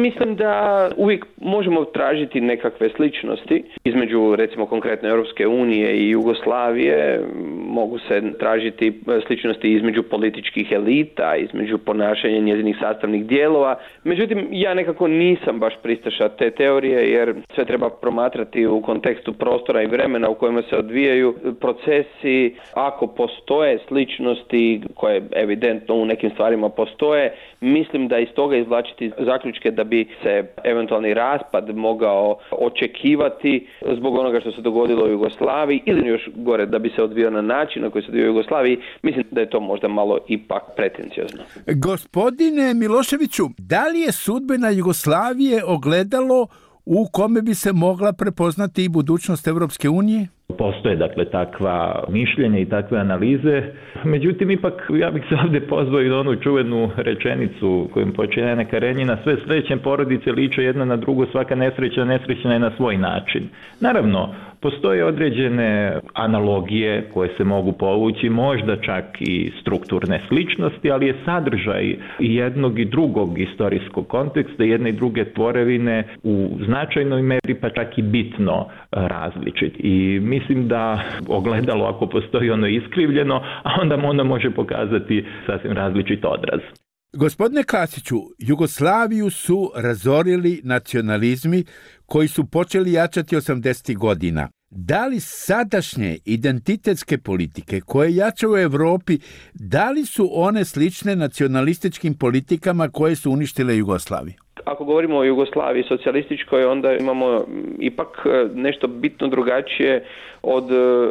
mislim da uvijek možemo tražiti nekakve sličnosti između, recimo, konkretno Europske unije i Jugoslavije. Mogu se tražiti sličnosti između političkih elita, između ponašanja njezinih sastavnih dijelova. Međutim, ja nekako nisam baš pristaša te teorije, jer sve treba promatrati u kontekstu prostora i vremena u kojima se odvijaju procesi. Ako postoje sličnosti koje evidentno u nekim stvarima postoje, mislim da iz toga izvlačiti zaključke da bi se eventualni raspad mogao očekivati zbog onoga što se dogodilo u Jugoslaviji ili još gore da bi se odvijao na način na koji se odvijao u Jugoslaviji, mislim da je to možda malo ipak pretenciozno. Gospodine Miloševiću, da li je sudbina Jugoslavije ogledalo u kome bi se mogla prepoznati i budućnost Evropske unije? Postoje dakle takva mišljenja i takve analize, međutim ipak ja bih se ovdje pozvao i na onu čuvenu rečenicu kojom počinje Ana Karenjina: sve srećne porodice liče jedna na drugu, svaka nesrećna nesrećna je na svoj način. Naravno, postoje određene analogije koje se mogu povući, možda čak i strukturne sličnosti, ali je sadržaj jednog i drugog istorijskog konteksta, jedne i druge tvorevine u značajnoj meri pa čak i bitno različit. I mislim da ogledalo, ako postoji, ono iskrivljeno, a onda mu ono može pokazati sasvim različit odraz. Gospodine Klasiću, Jugoslaviju su razorili nacionalizmi koji su počeli jačati osamdesetih godina. Da li sadašnje identitetske politike koje jačaju u Evropi, da li su one slične nacionalističkim politikama koje su uništile Jugoslaviju? Ako govorimo o Jugoslaviji socijalističkoj, onda imamo ipak nešto bitno drugačije od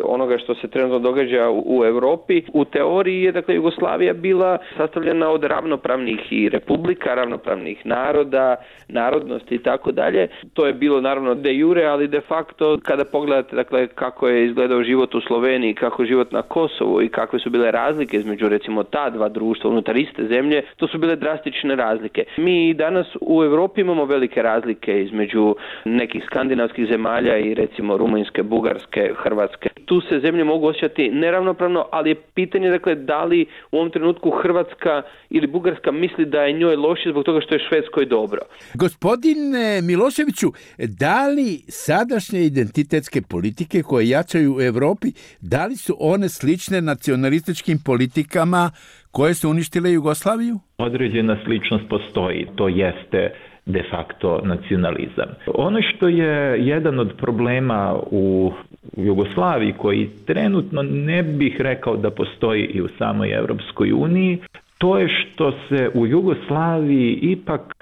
onoga što se trenutno događa u Europi. U teoriji je dakle Jugoslavija bila sastavljena od ravnopravnih i republika, ravnopravnih naroda, narodnosti i tako dalje. To je bilo naravno de jure, ali de facto kada pogledate dakle kako je izgledao život u Sloveniji, kako je život na Kosovu i kakve su bile razlike između recimo ta dva društva unutar iste zemlje, to su bile drastične razlike. Mi danas u Europi imamo velike razlike između nekih skandinavskih zemalja i recimo Rumunjske, Bugarske, Hrvatske. Tu se zemlje mogu osjećati neravnopravno, ali je pitanje dakle da li u ovom trenutku Hrvatska ili Bugarska misli da je njoj loše zbog toga što je Švedskoj dobro. Gospodine Miloševiću, da li sadašnje identitetske politike koje jačaju u Europi, da li su one slične nacionalističkim politikama koje su uništile Jugoslaviju? Određena sličnost postoji, to jeste de facto nacionalizam. Ono što je jedan od problema u Jugoslaviji koji trenutno ne bih rekao da postoji i u samoj Europskoj uniji, to je što se u Jugoslaviji ipak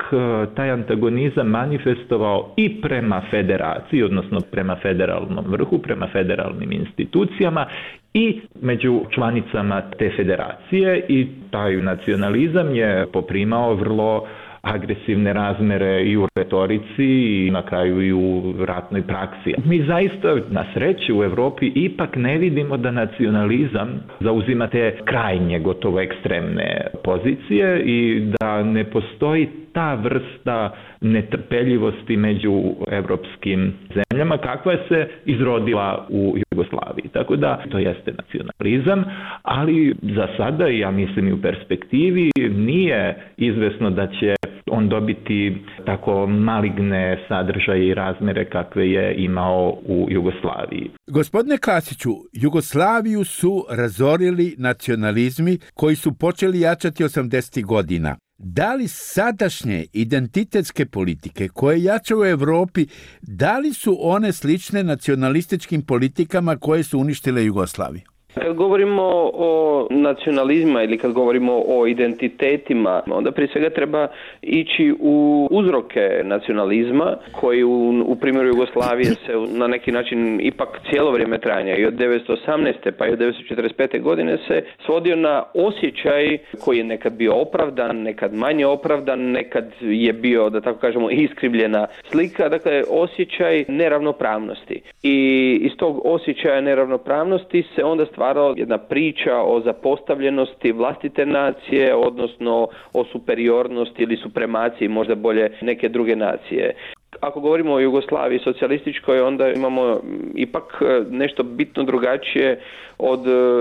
taj antagonizam manifestovao i prema federaciji, odnosno prema federalnom vrhu, prema federalnim institucijama i među članicama te federacije, i taj nacionalizam je poprimao vrlo agresivne razmere i u retorici i na kraju i u ratnoj praksi. Mi zaista na sreću u Europi ipak ne vidimo da nacionalizam zauzima te krajnje, gotovo ekstremne pozicije i da ne postoji ta vrsta netrpeljivosti među evropskim zemljama kakva se izrodila u Jugoslaviji. Tako da to jeste nacionalizam, ali za sada, ja mislim i u perspektivi, nije izvesno da će on dobiti tako maligne sadržaje i razmere kakve je imao u Jugoslaviji. Gospodine Klasiću, Jugoslaviju su razorili nacionalizmi koji su počeli jačati osamdesetih godina. Da li sadašnje identitetske politike koje jačaju u Europi, da li su one slične nacionalističkim politikama koje su uništile Jugoslaviju? Kad govorimo o nacionalizma ili kad govorimo o identitetima, onda prije svega treba ići u uzroke nacionalizma koji u, u primjeru Jugoslavije se na neki način ipak cijelo vrijeme trajanja i od devetsto osamnaeste pa i od devetsto četrdeset pete godine se svodio na osjećaj koji je nekad bio opravdan, nekad manje opravdan, nekad je bio, da tako kažemo, iskrivljena slika, dakle osjećaj neravnopravnosti. I iz tog osjećaja neravnopravnosti se onda stvarno jedna priča o zapostavljenosti vlastite nacije, odnosno o superiornosti ili supremaciji, možda bolje, neke druge nacije. Ako govorimo o Jugoslaviji socijalističkoj, onda imamo ipak nešto bitno drugačije od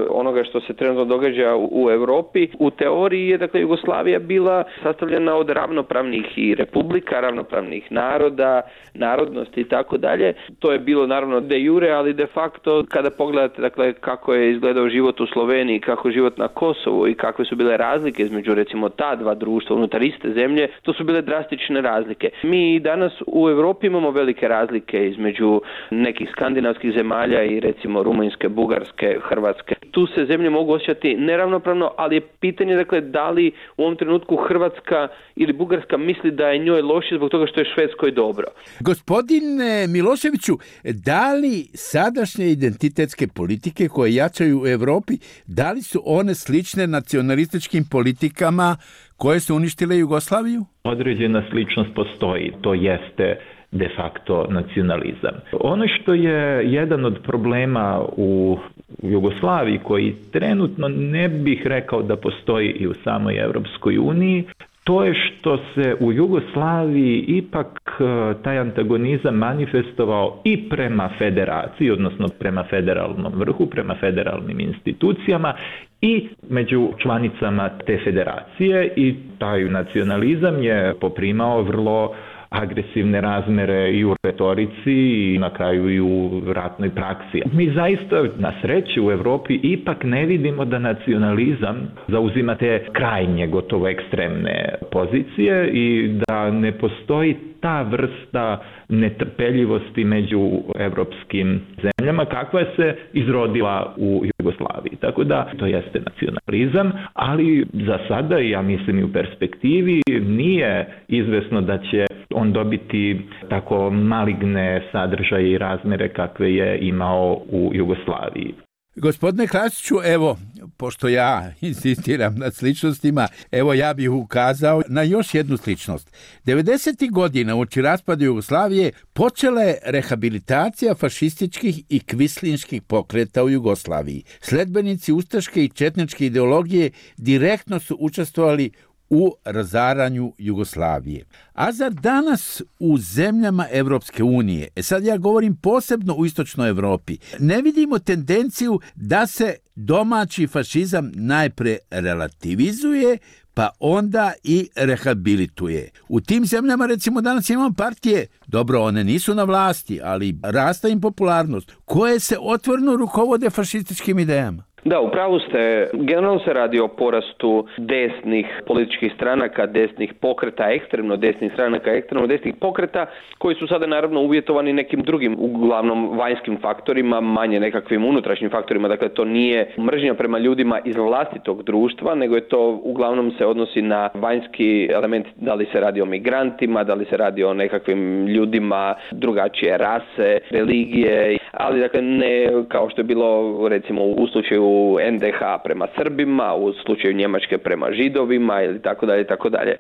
onoga što se trenutno događa u Europi. U teoriji je dakle Jugoslavija bila sastavljena od ravnopravnih i republika, ravnopravnih naroda, narodnosti i tako dalje. To je bilo naravno de jure, ali de facto kada pogledate dakle kako je izgledao život u Sloveniji, kako je život na Kosovu i kakve su bile razlike između recimo ta dva društva unutar iste zemlje, to su bile drastične razlike. Mi danas u Europi imamo velike razlike između nekih skandinavskih zemalja i recimo Rumunjske, Bugarske, Hrvatske. Tu se zemlje mogu osjećati neravnopravno, ali je pitanje dakle da li u ovom trenutku Hrvatska ili Bugarska misli da je njoj loše zbog toga što je Švedskoj dobro. Gospodine Miloševiću, da li sadašnje identitetske politike koje jačaju u Europi, da li su one slične nacionalističkim politikama koje su uništile Jugoslaviju? Određena sličnost postoji, to jeste de facto nacionalizam. Ono što je jedan od problema u Jugoslaviji koji trenutno ne bih rekao da postoji i u samoj Europskoj uniji, to je što se u Jugoslaviji ipak taj antagonizam manifestovao i prema federaciji, odnosno prema federalnom vrhu, prema federalnim institucijama i među članicama te federacije, i taj nacionalizam je poprimao vrlo agresivne razmere i u retorici i na kraju i u ratnoj praksi. Mi zaista na sreću u Europi ipak ne vidimo da nacionalizam zauzima te krajnje, gotovo ekstremne pozicije i da ne postoji ta vrsta netrpeljivosti među evropskim zemljama kakva se izrodila u Jugoslaviji. Tako da to jeste nacionalizam, ali za sada, ja mislim i u perspektivi, nije izvesno da će on dobiti tako maligne sadržaje i razmere kakve je imao u Jugoslaviji. Gospodine Krasiću, evo, pošto ja insistiram na sličnostima, evo ja bih ukazao na još jednu sličnost. devedesetih godina uoči raspada Jugoslavije počela je rehabilitacija fašističkih i kvislinških pokreta u Jugoslaviji. Sledbenici ustaške i četničke ideologije direktno su učestvovali u razaranju Jugoslavije. A zar danas u zemljama Evropske unije, e sad ja govorim posebno u istočnoj Evropi, ne vidimo tendenciju da se domaći fašizam najpre relativizuje, pa onda i rehabilituje. U tim zemljama recimo danas imamo partije, dobro, one nisu na vlasti, ali rasta im popularnost, koje se otvoreno rukovode fašističkim idejama. Da, upravo ste. Generalno se radi o porastu desnih političkih stranaka, desnih pokreta, ekstremno desnih stranaka, ekstremno desnih pokreta, koji su sada naravno uvjetovani nekim drugim, uglavnom vanjskim faktorima, manje nekakvim unutrašnjim faktorima. Dakle, to nije mržnja prema ljudima iz vlastitog društva, nego je to uglavnom se odnosi na vanjski element, da li se radi o migrantima, da li se radi o nekakvim ljudima drugačije rase, religije, ali dakle ne kao što je bilo recimo u slučaju en de ha prema Srbima, u slučaju Njemačke prema Židovima ili tako dalje, tako dalje.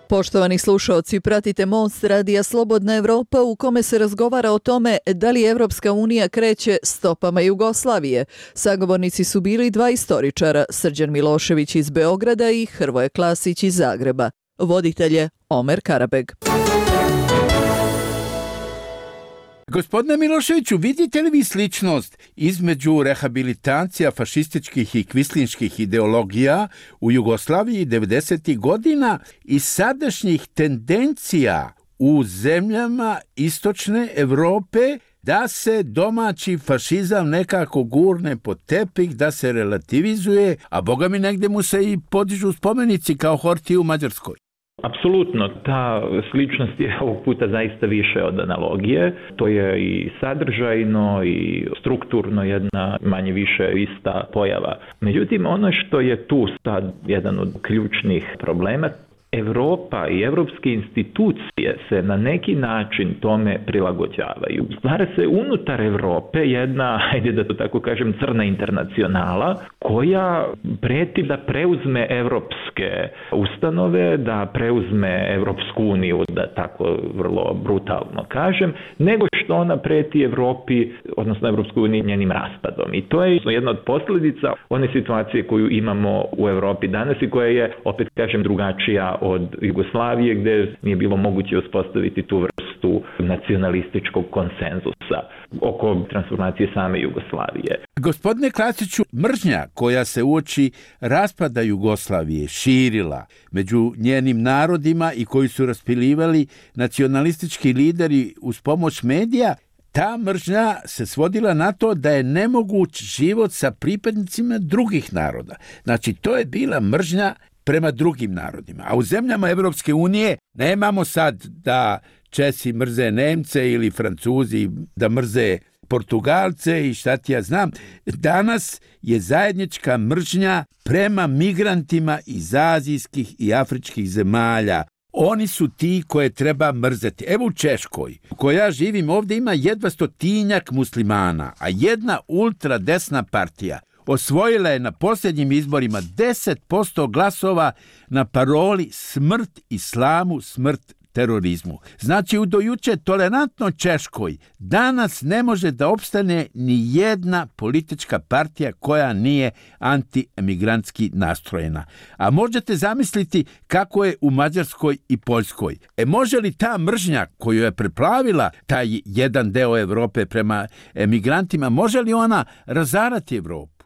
Poštovani slušaoci, pratite Most radija Slobodna Evropa u kome se razgovara o tome da li Evropska unija kreće stopama Jugoslavije. Sagovornici su bili dva istoričara, Srđan Milošević iz Beograda i Hrvoje Klasić iz Zagreba. Voditelj je Omer Karabeg. Gospodine Miloševiću, vidite li vi sličnost između rehabilitacija fašističkih i kvislinških ideologija u Jugoslaviji devedesetih godina i sadašnjih tendencija u zemljama istočne Evrope da se domaći fašizam nekako gurne pod tepih, da se relativizuje, a boga mi negdje mu se i podižu spomenici kao Horthy u Mađarskoj? Apsolutno, ta sličnost je ovog puta zaista više od analogije. To je i sadržajno i strukturno jedna manje više ista pojava. Međutim, ono što je tu sad jedan od ključnih problema, Europa i evropske institucije se na neki način tome prilagođavaju. Stvara se unutar Europe jedna, ajde da to tako kažem, crna internacionala koja preti da preuzme evropske ustanove, da preuzme Evropsku uniju, da tako vrlo brutalno kažem, nego što ona preti Evropi, odnosno Evropskoj uniji njenim raspadom. I to je jedna od posljedica one situacije koju imamo u Europi danas i koja je, opet kažem, drugačija od Jugoslavije, gdje nije bilo moguće uspostaviti tu vrstu nacionalističkog konsenzusa oko transformacije same Jugoslavije. Gospodine Klasiću, mržnja koja se uoči raspada Jugoslavije širila među njenim narodima i koji su raspilivali nacionalistički lideri uz pomoć medija, ta mržnja se svodila na to da je nemoguć život sa pripadnicima drugih naroda. Znači, to je bila mržnja prema drugim narodima. A u zemljama Evropske unije nemamo sad da Česi mrze Nemce ili Francuzi da mrze Portugalce i šta ti ja znam. Danas je zajednička mržnja prema migrantima iz azijskih i afričkih zemalja. Oni su ti koje treba mrzeti. Evo u Češkoj, u kojoj ja živim, ovdje ima jedva stotinjak muslimana, a jedna ultradesna partija osvojila je na posljednjim izborima deset posto glasova na paroli smrt islamu, smrt terorizmu. Znači, u dojuče tolerantno Češkoj danas ne može da opstane ni jedna politička partija koja nije anti-emigrantski nastrojena. A možete zamisliti kako je u Mađarskoj i Poljskoj. E može li ta mržnja koju je preplavila taj jedan deo Evrope prema emigrantima, može li ona razarati Evropu?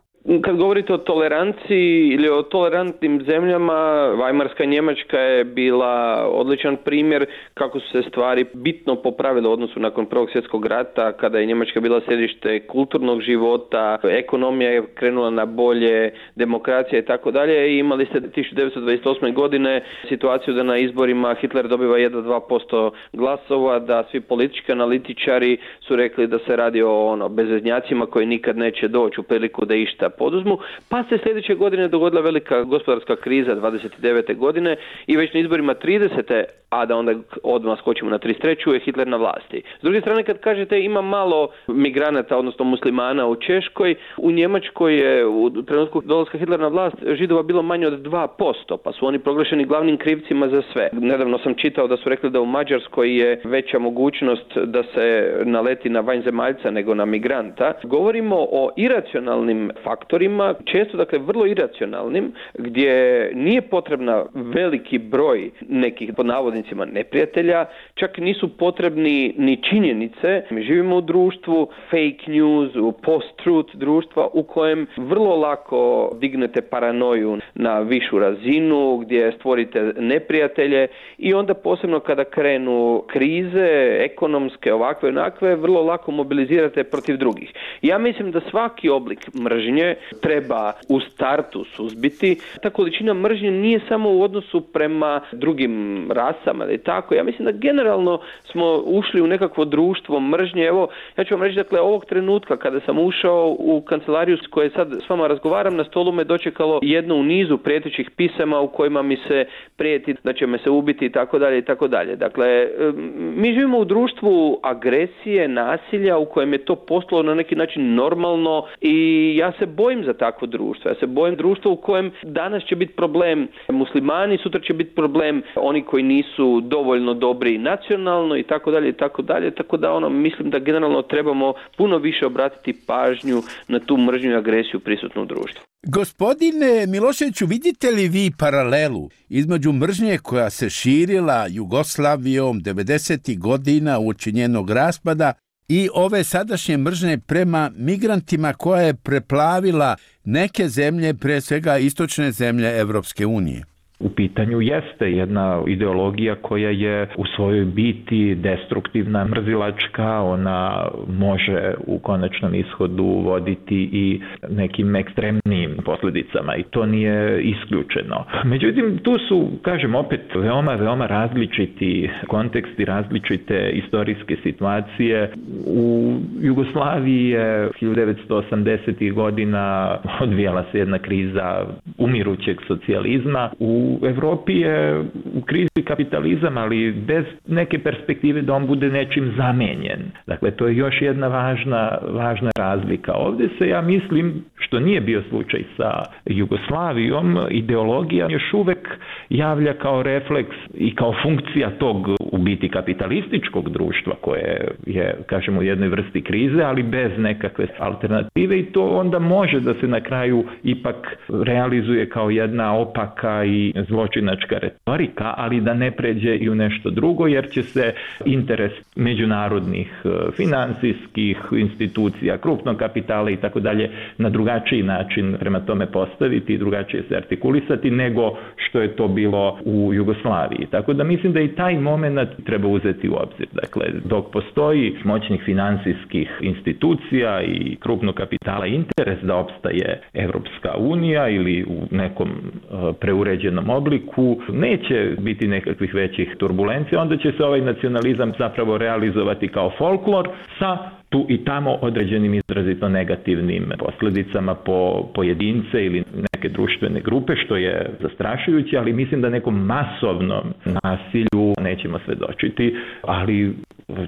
Kad govorite o toleranciji ili o tolerantnim zemljama, Vajmarska Njemačka je bila odličan primjer kako su se stvari bitno popravile u odnosu nakon Prvog svjetskog rata, kada je Njemačka bila središte kulturnog života, ekonomija je krenula na bolje, demokracija i tako dalje, i imali ste tisuću devetsto dvadeset osme. godine situaciju da na izborima Hitler dobiva jedva dva posto glasova, da svi politički analitičari su rekli da se radi o ono bezveznjacima koji nikad neće doći u priliku da išta poduzmu, pa se sljedeće godine dogodila velika gospodarska kriza dvadeset devete godine i već na izborima tridesete a da onda odmah skočimo na trideset treću je Hitler na vlasti. S druge strane, kad kažete ima malo migranata, odnosno muslimana u Češkoj, u Njemačkoj je u trenutku dolaska Hitlera na vlast Židova bilo manje od dva posto, pa su oni proglašeni glavnim krivcima za sve. Nedavno sam čitao da su rekli da u Mađarskoj je veća mogućnost da se naleti na vanjzemaljca nego na migranta. Govorimo o iracionalnim faktorima, često dakle vrlo iracionalnim, gdje nije potrebna veliki broj nekih pod navodnicima neprijatelja, čak nisu potrebni ni činjenice. Mi živimo u društvu fake news, u post-truth društva u kojem vrlo lako dignete paranoju na višu razinu, gdje stvorite neprijatelje i onda posebno kada krenu krize, ekonomske, ovakve, onakve, vrlo lako mobilizirate protiv drugih. Ja mislim da svaki oblik mržnje treba u startu suzbiti. Ta količina mržnje nije samo u odnosu prema drugim rasama, ali tako. Ja mislim da generalno smo ušli u nekakvo društvo mržnje. Evo, ja ću vam reći, dakle, ovog trenutka kada sam ušao u kancelariju s koje sad s vama razgovaram, na stolu me dočekalo jedno u nizu prijetećih pisama u kojima mi se prijeti da će me se ubiti i tako dalje i tako dalje. Dakle, mi živimo u društvu agresije, nasilja u kojem je to postalo na neki način normalno i ja se bojim za takvo društvo. Ja se bojim društva u kojem danas će biti problem muslimani, sutra će biti problem oni koji nisu dovoljno dobri nacionalno i tako dalje i tako dalje. Tako da ono, mislim da generalno trebamo puno više obratiti pažnju na tu mržnju i agresiju prisutnu u društvu. Gospodine Miloševiću, vidite li vi paralelu između mržnje koja se širila Jugoslavijom devedesetih godina uoči njenog raspada i ove sadašnje mržnje prema migrantima koja je preplavila neke zemlje, pre svega istočne zemlje Evropske unije? U pitanju jeste jedna ideologija koja je u svojoj biti destruktivna, mrzilačka, ona može u konačnom ishodu voditi i nekim ekstremnim posljedicama i to nije isključeno. Međutim, tu su, kažem opet, veoma, veoma različiti konteksti, različite istorijske situacije. U Jugoslaviji je hiljadu devetsto osamdesetih godina odvijala se jedna kriza umirućeg socijalizma. U U Evropi je u krizi kapitalizam, ali bez neke perspektive da on bude nečim zamenjen. Dakle, to je još jedna važna, važna razlika. Ovdje se, ja mislim, što nije bio slučaj sa Jugoslavijom, ideologija još uvek javlja kao refleks i kao funkcija tog u biti kapitalističkog društva koje je, kažemo, u jednoj vrsti krize, ali bez nekakve alternative i to onda može da se na kraju ipak realizuje kao jedna opaka i zločinačka retorika, ali da ne pređe i u nešto drugo, jer će se interes međunarodnih finansijskih institucija, krupnog kapitala i tako dalje na drugačiji način prema tome postaviti i drugačije se artikulisati nego što je to bilo u Jugoslaviji. Tako da mislim da i taj moment treba uzeti u obzir. Dakle, dok postoji moćnih finansijskih institucija i krupnog kapitala interes da opstaje Evropska unija ili u nekom preuređenom obliku, neće biti nekakvih većih turbulencija, onda će se ovaj nacionalizam zapravo realizovati kao folklor sa tu i tamo određenim izrazito negativnim posljedicama po pojedince ili neke društvene grupe, što je zastrašujuće, ali mislim da nekom masovnom nasilju nećemo svedočiti, ali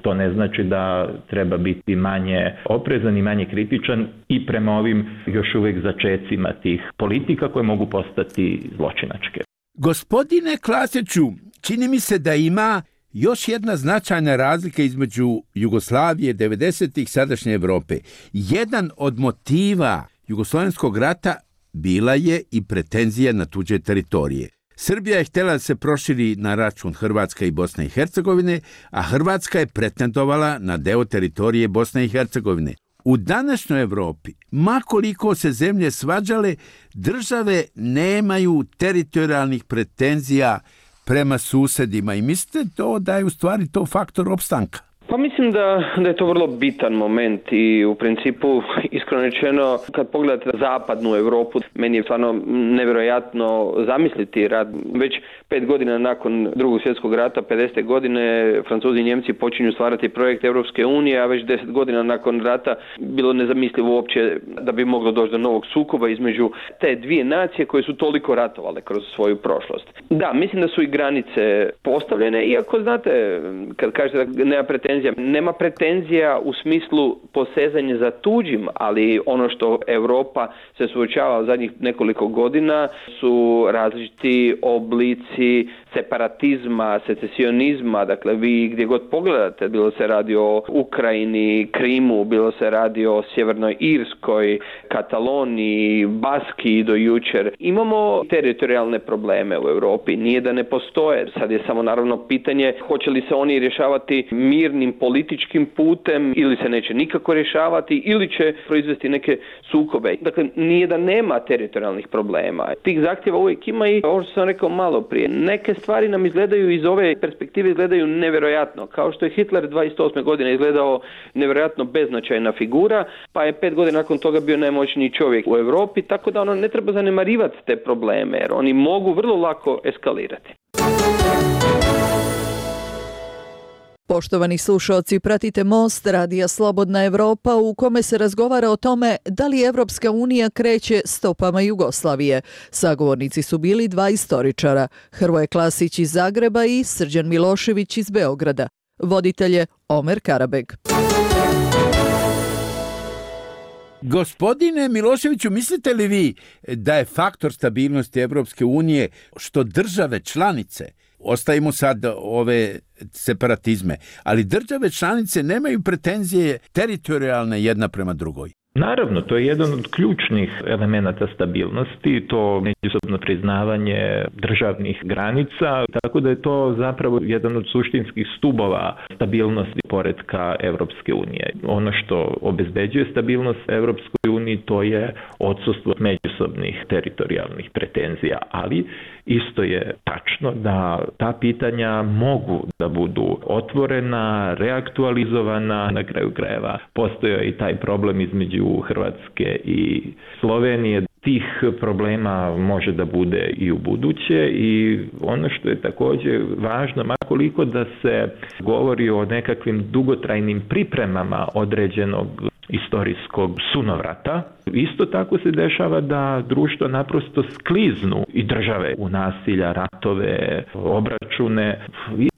to ne znači da treba biti manje oprezan i manje kritičan i prema ovim još uvijek začecima tih politika koje mogu postati zločinačke. Gospodine Klasiću, čini mi se da ima još jedna značajna razlika između Jugoslavije devedesetih sadašnje Evrope. Jedan od motiva Jugoslovenskog rata bila je i pretenzija na tuđe teritorije. Srbija je htjela da se proširi na račun Hrvatske i Bosne i Hercegovine, a Hrvatska je pretendovala na deo teritorije Bosne i Hercegovine. U današnjoj Evropi, makoliko se zemlje svađale, države nemaju teritorijalnih pretenzija prema susedima i mislite to da je u stvari to faktor opstanka? Pa mislim da, da je to vrlo bitan moment i u principu, iskreno rečeno, kad pogledate zapadnu Europu, meni je stvarno nevjerojatno zamisliti rad. Već pet godina nakon drugog svjetskog rata, pedesete godine, Francuzi i Njemci počinju stvarati projekt Europske unije, a već deset godina nakon rata bilo nezamislivo uopće da bi moglo doći do novog sukoba između te dvije nacije koje su toliko ratovale kroz svoju prošlost. Da, mislim da su i granice postavljene, iako znate, kad kažete da nema pretenzija, nema pretenzija u smislu posezanja za tuđim, ali ono što Europa se suočava u zadnjih nekoliko godina su različiti oblici separatizma, secesionizma, dakle vi gdje god pogledate, bilo se radi o Ukrajini, Krimu, bilo se radi o Sjevernoj Irskoj, Kataloniji, Baskiji do jučer. Imamo teritorijalne probleme u Europi, nije da ne postoje, sad je samo naravno pitanje hoće li se oni rješavati mirnim političkim putem ili se neće nikako rješavati ili će proizvesti neke sukobe. Dakle, nije da nema teritorijalnih problema. Tih zahtjeva uvijek ima i ovo što sam rekao malo prije. Neke stvari nam izgledaju iz ove perspektive izgledaju nevjerojatno. Kao što je Hitler dvadeset osme godine izgledao nevjerojatno beznačajna figura, pa je pet godina nakon toga bio najmoćniji čovjek u Europi, tako da ono ne treba zanemarivati te probleme, jer oni mogu vrlo lako eskalirati. Poštovani slušalci, pratite Most radija Slobodna Evropa u kome se razgovara o tome da li Evropska unija kreće stopama Jugoslavije. Sagovornici su bili dva istoričara, Hrvoje Klasić iz Zagreba i Srđan Milošević iz Beograda. Voditelj je Omer Karabeg. Gospodine Miloševiću, mislite li vi da je faktor stabilnosti Evropske unije što države članice, ostavimo sad ove separatizme, ali države članice nemaju pretenzije teritorijalne jedna prema drugoj? Naravno, to je jedan od ključnih elemenata stabilnosti, to međusobno priznavanje državnih granica, tako da je to zapravo jedan od suštinskih stubova stabilnosti poretka Evropske unije. Ono što obezbeđuje stabilnost Evropskoj uniji to je odsustvo međusobnih teritorijalnih pretenzija, ali isto je tačno da ta pitanja mogu da budu otvorena, reaktualizovana, na kraju krajeva postoji i taj problem između Hrvatske i Slovenije. Tih problema može da bude i u buduće i ono što je također važno, makoliko da se govori o nekakvim dugotrajnim pripremama određenog istorijskog sunovrata, isto tako se dešava da društvo naprosto skliznu i države u nasilja, ratove, obračune.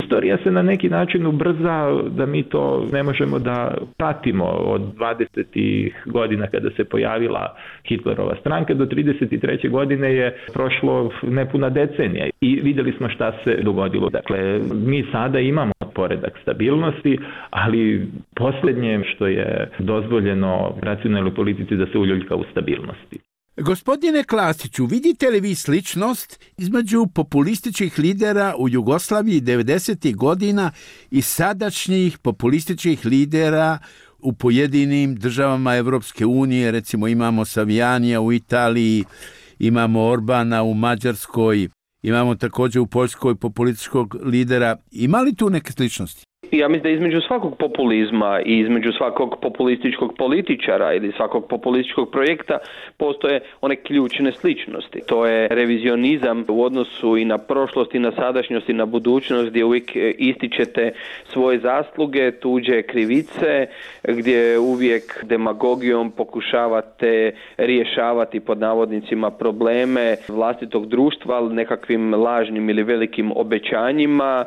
Istorija se na neki način ubrza da mi to ne možemo da pratimo od dvadesetih godina kada se pojavila Hitlerova stranka do trideset treće godine je prošlo nepuna decenija i vidjeli smo šta se dogodilo. Dakle, mi sada imamo poredak stabilnosti, ali posljednje što je dozvoljeno racionalnoj politici da se uljuljka u stabilnosti. Gospodine Klasiću, vidite li vi sličnost između populističkih lidera u Jugoslaviji devedesetih godina i sadašnjih populističkih lidera u pojedinim državama Evropske unije? Recimo imamo Savijanija u Italiji, imamo Orbana u Mađarskoj, imamo također u Poljskoj populističkog lidera. Ima li tu neke sličnosti? Ja mislim da između svakog populizma i između svakog populističkog političara ili svakog populističkog projekta postoje one ključne sličnosti. To je revizionizam u odnosu i na prošlost i na sadašnjost i na budućnost gdje uvijek ističete svoje zasluge, tuđe krivice, gdje uvijek demagogijom pokušavate rješavati pod navodnicima probleme vlastitog društva nekakvim lažnim ili velikim obećanjima,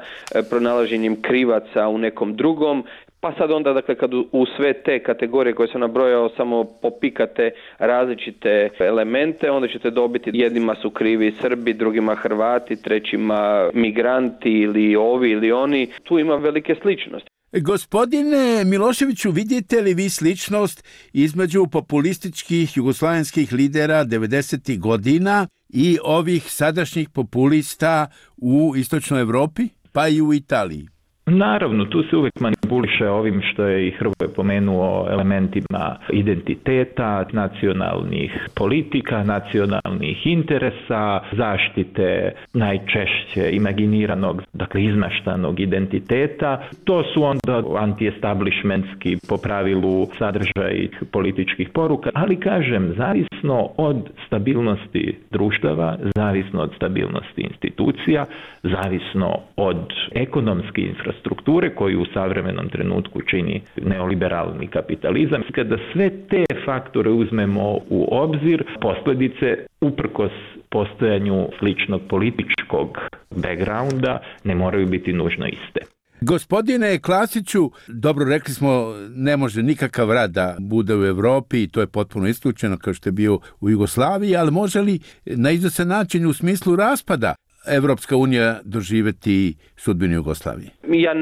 pronalaženjem krivaca u nekom drugom, pa sad onda dakle kad u sve te kategorije koje sam nabrojao samo popikate različite elemente, onda ćete dobiti jednima su krivi Srbi, drugima Hrvati, trećima migranti ili ovi ili oni. Tu ima velike sličnosti. Gospodine Miloševiću, vidite li vi sličnost između populističkih jugoslavenskih lidera devedesetih godina i ovih sadašnjih populista u istočnoj Evropi, pa i u Italiji? Naravno, tu se uvijek manipuliše ovim što je i Hrvoje pomenuo elementima identiteta, nacionalnih politika, nacionalnih interesa, zaštite najčešće imaginiranog, dakle izmaštanog identiteta. To su onda anti-establishmentski po pravilu sadržaj političkih poruka, ali kažem, zavisno od stabilnosti društava, zavisno od stabilnosti institucija, zavisno od ekonomske infrastrukture, strukture koju u savremenom trenutku čini neoliberalni kapitalizam. Kada sve te faktore uzmemo u obzir, posljedice uprkos postojanju sličnog političkog backgrounda ne moraju biti nužno iste. Gospodine Klasiću, dobro rekli smo, ne može nikakav rat da bude u Europi i to je potpuno isključeno kao što je bio u Jugoslaviji, ali može li na izvestan način u smislu raspada Evropska unija doživjeti sudbinu Jugoslavije? Ja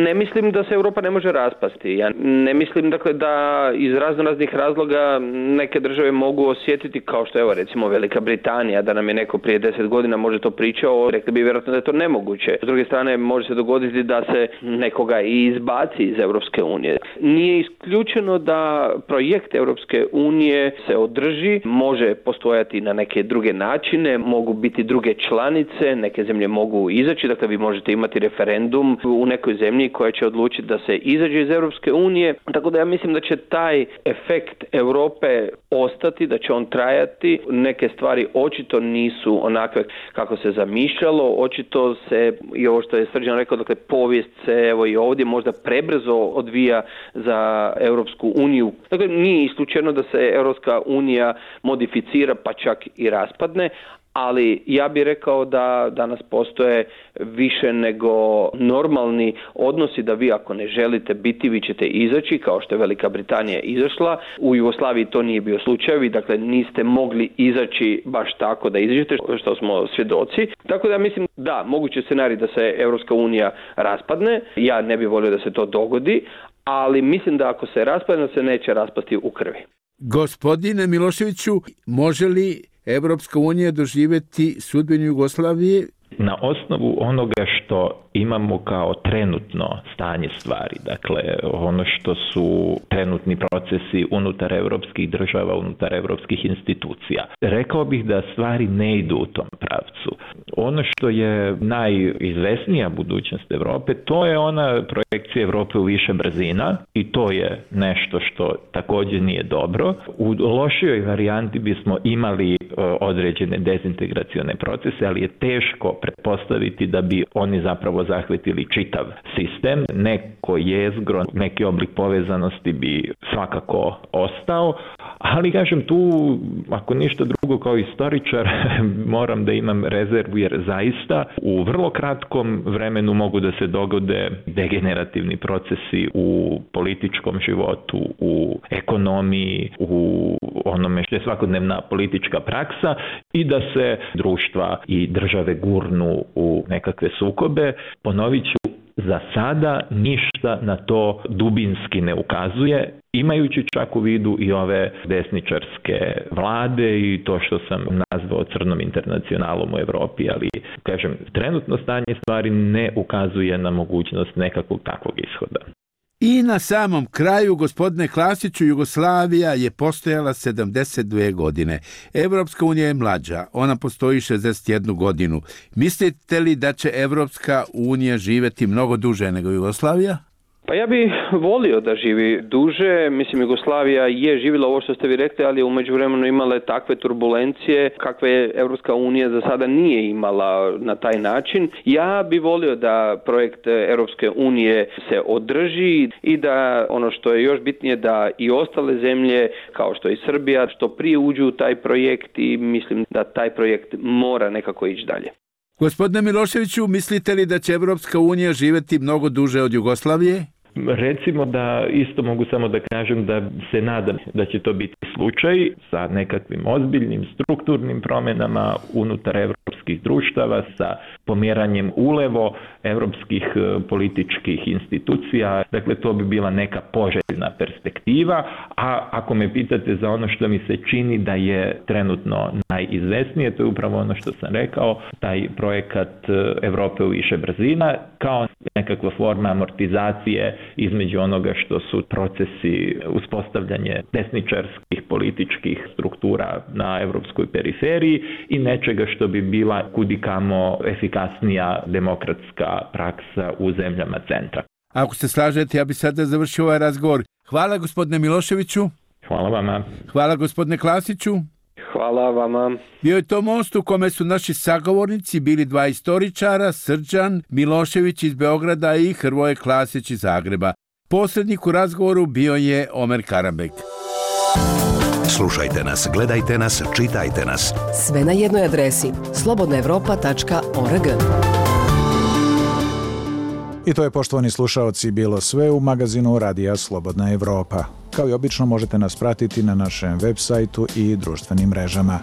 ne mislim da se Europa ne može raspasti. Ja ne mislim dakle da iz raznoraznih razloga neke države mogu osjetiti, kao što evo recimo Velika Britanija, da nam je neko prije deset godina može to pričao, rekli bi vjerojatno da je to nemoguće. S druge strane može se dogoditi da se nekoga i izbaci iz Europske unije. Nije isključeno da projekt Europske unije se održi, može postojati na neke druge načine, mogu biti druge članice, neke zemlje mogu izaći, dakle vi možete imati referendum u nekoj zemlji koja će odlučiti da se izađe iz Europske unije, tako da ja mislim da će taj efekt Europe ostati, da će on trajati. Neke stvari očito nisu onakve kako se zamišljalo, očito se, i ovo što je Srđan rekao, dakle povijest se evo i ovdje možda prebrzo odvija za Europsku uniju. Dakle, nije isključeno da se Europska unija modificira pa čak i raspadne, ali ja bih rekao da danas postoje više nego normalni odnosi da vi ako ne želite biti, vi ćete izaći, kao što je Velika Britanija izašla. U Jugoslaviji to nije bio slučaj, vi dakle niste mogli izaći baš tako da izađete, što smo svjedoci. Tako da ja mislim da, moguće scenarij da se Europska unija raspadne, ja ne bih volio da se to dogodi, ali mislim da ako se raspadne, se neće raspasti u krvi. Gospodine Miloševiću, može li Evropska unija doživjeti sudbinu Jugoslavije? Na osnovu onoga što imamo kao trenutno stanje stvari, dakle ono što su trenutni procesi unutar europskih država, unutar europskih institucija. Rekao bih da stvari ne idu u tom pravcu. Ono što je najizvesnija budućnost Europe, to je ona projekcija Europe u više brzina i to je nešto što također nije dobro. U lošijoj varijanti bismo imali određene dezintegracione procese, ali je teško pretpostaviti da bi oni zapravo zahvatili čitav sistem. Neko jezgro, neki oblik povezanosti bi svakako ostao, ali kažem tu, ako ništa drugo kao istoričar, moram da imam rezervu jer zaista u vrlo kratkom vremenu mogu da se dogode degenerativni procesi u političkom životu, u ekonomiji, u onome što je svakodnevna politička praksa i da se društva i države gurnu u nekakve sukobe. Ponovit ću, za sada ništa na to dubinski ne ukazuje, imajući čak u vidu i ove desničarske vlade i to što sam nazvao crnom internacionalom u Europi, ali kažem, trenutno stanje stvari ne ukazuje na mogućnost nekakvog takvog ishoda. I na samom kraju, gospodine Klasiću, Jugoslavija je postojala sedamdeset dvije godine. Evropska unija je mlađa, ona postoji šezdeset jednu godinu. Mislite li da će Evropska unija živjeti mnogo duže nego Jugoslavija? Pa ja bih volio da živi duže. Mislim, Jugoslavija je živjela ovo što ste vi rekli, ali je u međuvremenu imale takve turbulencije kakve Europska unija za sada nije imala na taj način. Ja bih volio da projekt Europske unije se održi i da ono što je još bitnije da i ostale zemlje kao što je i Srbija što prije uđu u taj projekt i mislim da taj projekt mora nekako ići dalje. Gospodine Miloševiću, mislite li da će Evropska unija živjeti mnogo duže od Jugoslavije? Recimo da isto mogu samo da kažem da se nadam da će to biti slučaj sa nekakvim ozbiljnim strukturnim promjenama unutar evropskih društava, sa pomjeranjem ulevo evropskih političkih institucija. Dakle, to bi bila neka poželjna perspektiva, a ako me pitate za ono što mi se čini da je trenutno najizvesnije, to je upravo ono što sam rekao, taj projekat Evrope u više brzina, kao nekakva forma amortizacije između onoga što su procesi uspostavljanje desničarskih političkih struktura na evropskoj periferiji i nečega što bi bila kudikamo efikasnija demokratska praksa u zemljama centra. Ako se slažete, ja bi sada završio ovaj razgovor. Hvala gospodine Miloševiću. Hvala vama. Hvala gospodine Klasiću. Hvala vama. Bio je to most u kome su naši sagovornici bili dva istoričara, Srđan Milošević iz Beograda i Hrvoje Klasić iz Zagreba. Posrednik u razgovoru bio je Omer Karabek. Slušajte nas, gledajte nas, čitajte nas. Sve na jednoj adresi slobodna evropa tačka org. I to je, poštovani slušaoci, bilo sve u magazinu Radija Slobodna Evropa. Kao i obično možete nas pratiti na našem web sajtu i društvenim mrežama.